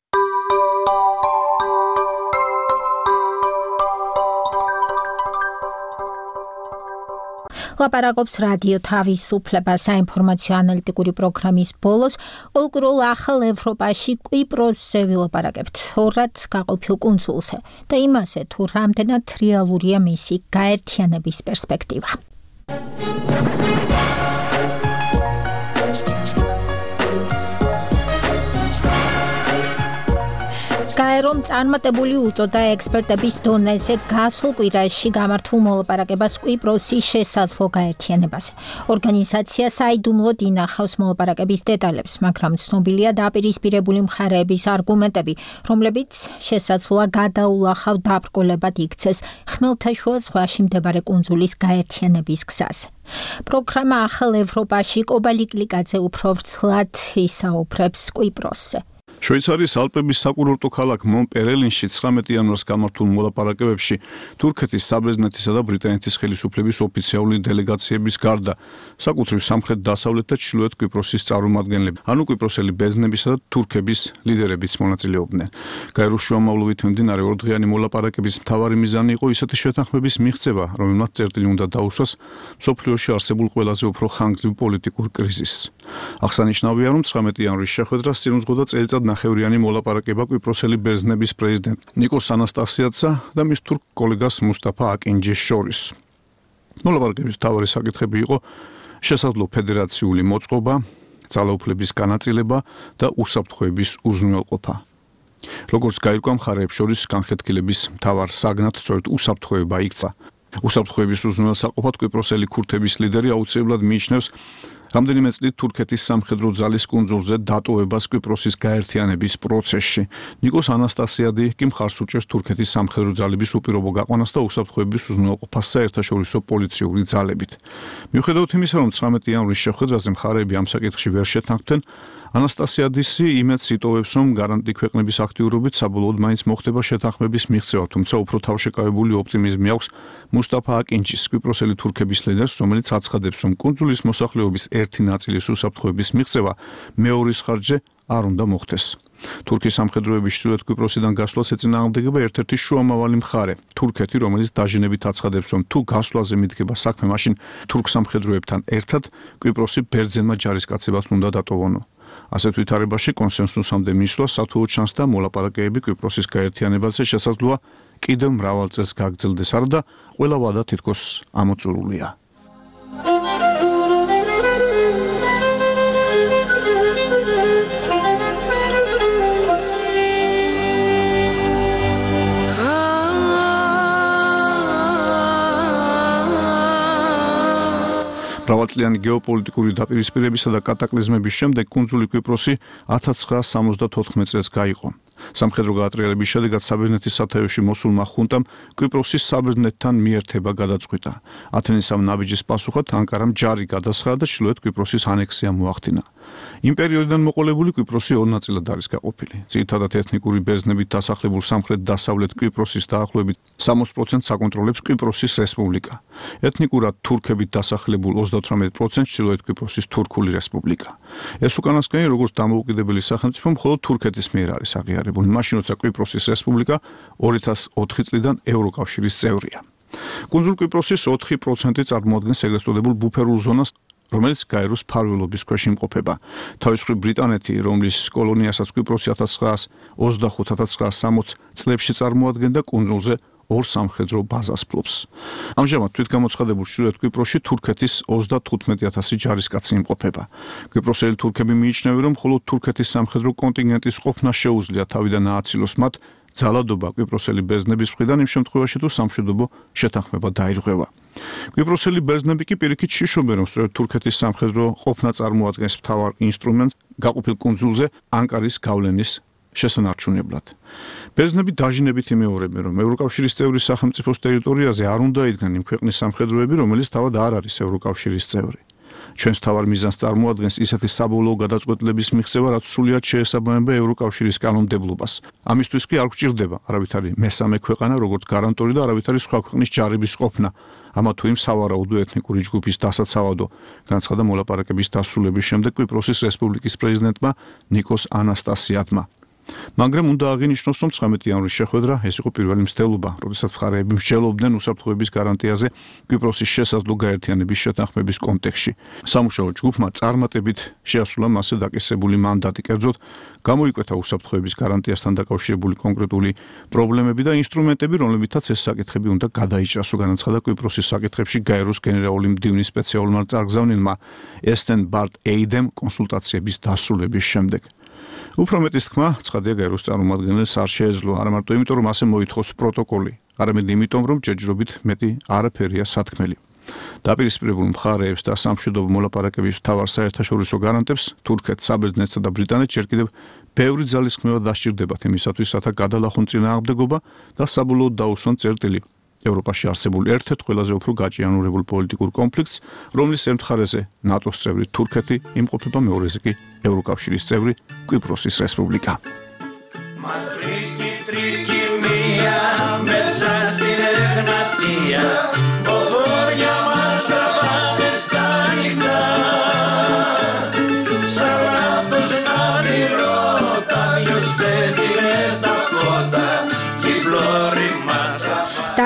ლაპარაკობს რადიო თავისუფლება საინფორმაციო ანალიტიკური პროგრამის ბოლოს პოლკრულ ახალ ევროპაში კვიპროსზე ვილაპარაკებთ ორად გაყოფილ კუნძულზე და იმაზე თუ რამდენად რეალურია მისი გაერთიანების პერსპექტივა. გაერომ წარმატებული უწოდა ექსპერტების დონეზე გასულ კვირაში გამართულ მოლაპარაკებას კვიპროსის შესაძლო გაერთიანებაზე. ორგანიზაცია საიდუმლოდ ინახავს მოლაპარაკების დეტალებს, მაგრამ ცნობილია დაპირისპირებული მხარეების არგუმენტები, რომლებიც შესაძლოა გადაულახავ დაბრკოლებად იქცეს ხმელთაშუა ზღვაში მდებარე კუნძულის გაერთიანების გზაზე. პროგრამა ახალ ევროპაში კობალიკლიკაძე უფრო ვრცლად ისაუბრებს კვიპროსზე. შვეიცარიის ალპების საკურორტო ქალაქ მონპერელინში 19 იანვარს გამართულ მოლაპარაკებებში თურქეთის, საბერძნეთისა და ბრიტანეთის ხელისუფლების ოფიციალური დელეგაციების გარდა საკუთრივ სამხრეთ-დასავლეთ და ჩრდილოეთ კვიპროსის წარმომადგენლები, ანუ კვიპროსელი ბერძნებისა და თურქების ლიდერებიც მონაწილეობდნენ. გაეროს შუამავლობით მიმდინარე ორდღიანი მოლაპარაკების მთავარი მიზანი იყო ისეთი შეთანხმების მიღწევა, რომელმაც წერტილი უნდა დაუსვას მსოფლიოში არსებულ ყველაზე უფრო ხანგრძლივ პოლიტიკურ კრიზისს. აღსანიშნავია, რომ 19 იანვრის შეხვედრას წინ უძღოდა წელიწად ნახევრიანი მოლაპარაკება კვიპროსელი ბერძნების პრეზიდენტ ნიკოს ანასტასიაძსა და მის თურქ კოლეგას მუსტაფა აკინჯის შორის. მოლაპარაკების მთავარი საკითხები იყო შესაძლო ფედერაციული მოწყობა, ძალაუფლების განაწილება და უსაფრთხოების უზრუნველყოფა. როგორც გაირკვა მხარეებს შორის განხეთქილების მთავარ საგნად სწორედ უსაფრთხოება იქცა. უსაფრთხოების უზრუნველსაყოფად კვიპროსელი ქურთების ლიდერი აუცილებლად მიიჩნევს რამდენიმე წლით თურქეთის სამხედრო ძალის კუნძულზე დატოვებას კვიპროსის გაერთიანების პროცესში. ნიკოს ანასტასიადი კი მხარს უჭერს თურქეთის სამხედრო ძალების უპირობო გაყვანას და უსაფრთხოების უზრუნველყოფას საერთაშორისო პოლიციური ძალებით. მიუხედავად იმისა, რომ 19 იანვრის შეხვედრაზე მხარეები ამ საკითხში ვერ შეთანხმდნენ, ანასტასიადისი იმედს იტოვებს, რომ გარანტი ქვეყნების აქტიურობით საბოლოოდ მაინც მოხდება შეთანხმების მიღწევა, თუმცა უფრო თავშეკავებული ოპტიმიზმი აქვს მუსტაფა აკინჩის, კვიპროსელი თურქების ლიდერს, რომელიც აცხადებს, რომ კუნძულის მოსახლეობის ერთი ნაწილის უსაფრთხოების მიღწევა მეორის ხარჯზე არ უნდა მოხდეს. თურქიის სამხედროების ჩრდილოეთ კვიპროსიდან გასვლას ეწინააღმდეგება ერთ-ერთი შუამავალი მხარე, თურქეთი, რომელიც დაჟინებით აცხადებს, რომ თუ გასვლაზე მიდგება საქმე, მაშინ თურქ სამხედროებთან ერთად კვიპროსი ბერძენმა ჯარისკაცებად უნდა დატოვონო. ასეთ ვითარებაში კონსენსუსამდე მისვლა სათუო ჩანს და მოლაპარაკებები კვიპროსის გაერთიანებაზე შესაძლოა კიდევ მრავალ წელს გაგრძელდეს, არა და ყველა ვადა თითქოს ამოწურულია. მრავალწლიანი გეოპოლიტიკური დაპირისპირებისა და კატაკლიზმების შემდეგ კუნძული კვიპროსი 1974 წელს გაიყო. სამხედრო გაატრიალების შედეგად საბერძნეთის სათაეში მოსულმა ხუნტამ კვიპროსის საბერძნეთთან მიერთება გადაწყვიტა. ათენის ამ ნაბიჯის პასუხად ანკარამ ჯარი გადასხადა და ჩრდილოეთ კვიპროსის ანექსია მოახდინა. იმ პერიოდიდან მოყოლებული კვიპროსი ორ ნაწილად არის გაყოფილი. ძირითადად ეთნიკური ბერძნებით დასახლებულ სამხრეთ-დასავლეთ კვიპროსის დაახლოებით 60%-ს აკონტროლებს კვიპროსის რესპუბლიკა. ეთნიკურად თურქებით დასახლებულ 38%-ს ჩრდილოეთ კვიპროსის თურქული რესპუბლიკა. ეს უკანასკნელი როგორც დამოუკიდებელი სახელმწიფო მხოლოდ თურქეთის მიერ არის აღიარებული, მაშინ როცა კვიპროსის რესპუბლიკა 2004 წლიდან ევროკავშირის წევრია. კუნძულ კვიპროსის 4% წარმოადგენს ეგრეთ წოდებულ ბუფერულ ზონას, რომელიც გაეროს მფარველობის ქვეშ იმყოფება. თავის მხრივ ბრიტანეთი, რომლის კოლონიასაც კვიპროსი 1925-1960 წლებში წარმოადგენდა, კუნძულზე ორ სამხედრო ბაზას ფლობს. ამჟამად თვითგამოცხადებულ ჩრდილოეთ კვიპროსში თურქეთის 35,000 ჯარისკაცი იმყოფება. კვიპროსელი თურქები მიიჩნევენ, რომ მხოლოდ თურქეთის სამხედრო კონტინგენტის ყოფნა შეუძლია თავიდან ააცილოს მათ ძალადობა კვიპროსელი ბერძნების მხრიდან იმ შემთხვევაში, თუ სამშვიდობო შეთანხმება დაირღვევა. კვიპროსელი ბერძნები კი პირიქით შიშობენ, რომ სწორედ თურქეთის სამხედრო ყოფნა წარმოადგენს მთავარ ინსტრუმენტს გაყოფილ კუნძულზე ანკარის გავლენის შესანარჩუნებლად. ბერძნები დაჟინებით იმეორებენ, რომ ევროკავშირის წევრი სახელმწიფოს ტერიტორიაზე არ უნდა იდგნენ იმ ქვეყნის სამხედროები, რომელიც თავად არ არის ევროკავშირის წევრი. ჩვენს თავარ მიზანს წარმოადგენს ისეთი საბოლოო გადაწყვეტილების მიღწევა, რაც სრულად შეესაბამება ევროკავშირის კანონმდებლობას. ამისთვის კი არ გვჭირდება არავითარი მესამე ქვეყანა, როგორც გარანტორი და არავითარი სხვა ქვეყნის ჯარების ყოფნა, ამა თუ იმ სავარაუდო ეთნიკური ჯგუფის დასაცავადო, განაცხადა მოლაპარაკების დასრულების შემდეგ კვიპროსის რესპუბლიკის პრეზიდენტმა ნიკოს ანასტასიადმა. მაგრამ უნდა აღინიშნოს, რომ 19 იანვრის შეხვედრა ეს იყო პირველი მცდელობა, როდესაც მხარეები მსჯელობდნენ უსაფრთხოების გარანტიაზე კვიპროსის შესაძლო გაერთიანების შეთანხმების კონტექსტში. სამუშაო ჯგუფმა წარმატებით შეასრულა მასზე დაკისრებული მანდატი, კერძოდ გამოიკვეთა უსაფრთხოების გარანტიასთან დაკავშირებული კონკრეტული პრობლემები და ინსტრუმენტები, რომლებითაც ეს საკითხები უნდა გადაიჭრასო, განაცხადა კვიპროსის საკითხებში გაეროს გენერალური მდივნის სპეციალურმა წარგზავნილმა ესტენ ბარტ ეიდემ კონსულტაციების დასრულების შემდეგ. უფრო მეტის თქმა, ცხადია გაეროს წარმომადგენელს არ შეეძლო, არა მარტო იმიტომ, რომ ასე მოითხოვს პროტოკოლი, არამედ იმიტომ, რომ ჯერჯერობით მეტი არაფერია სათქმელი. დაპირისპირებულ მხარეებს და სამშვიდობო მოლაპარაკების მთავარ საერთაშორისო გარანტებს, თურქეთს, საბერძნეთსა და ბრიტანეთს ჯერ კიდევ ბევრი ძალისხმევა დასჭირდებათ იმისათვის, რათა გადალახონ წინააღმდეგობა და საბოლოოდ დაუსვან წერტილი ევროპაში არსებულ ერთ-ერთ ყველაზე უფრო გაჭიანურებულ პოლიტიკურ კონფლიქტს, რომლის ერთ მხარეზე ნატოს წევრი თურქეთი იმყოფება, მეორეზე კი ევროკავშირის წევრი კვიპროსის რესპუბლიკა.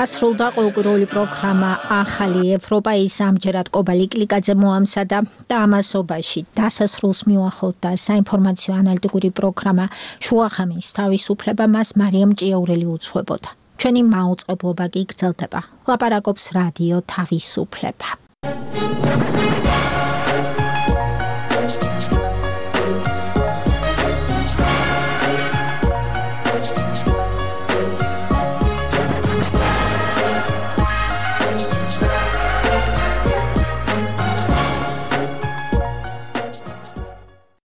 დასრულდა ყოველკვირეული პროგრამა ახალი ევროპა, ის ამჯერად კობალი კლიკაძე მოამზადა და ამასობაში დასასრულს მიუახლოვდა საინფორმაციო ანალიტიკური პროგრამა შუახამის თავისუფლება, მას მარიამ ჭიაურელი უძღვებოდა. ჩვენი მაუწყებლობა კი გრძელდება. ლაპარაკობს რადიო თავისუფლება.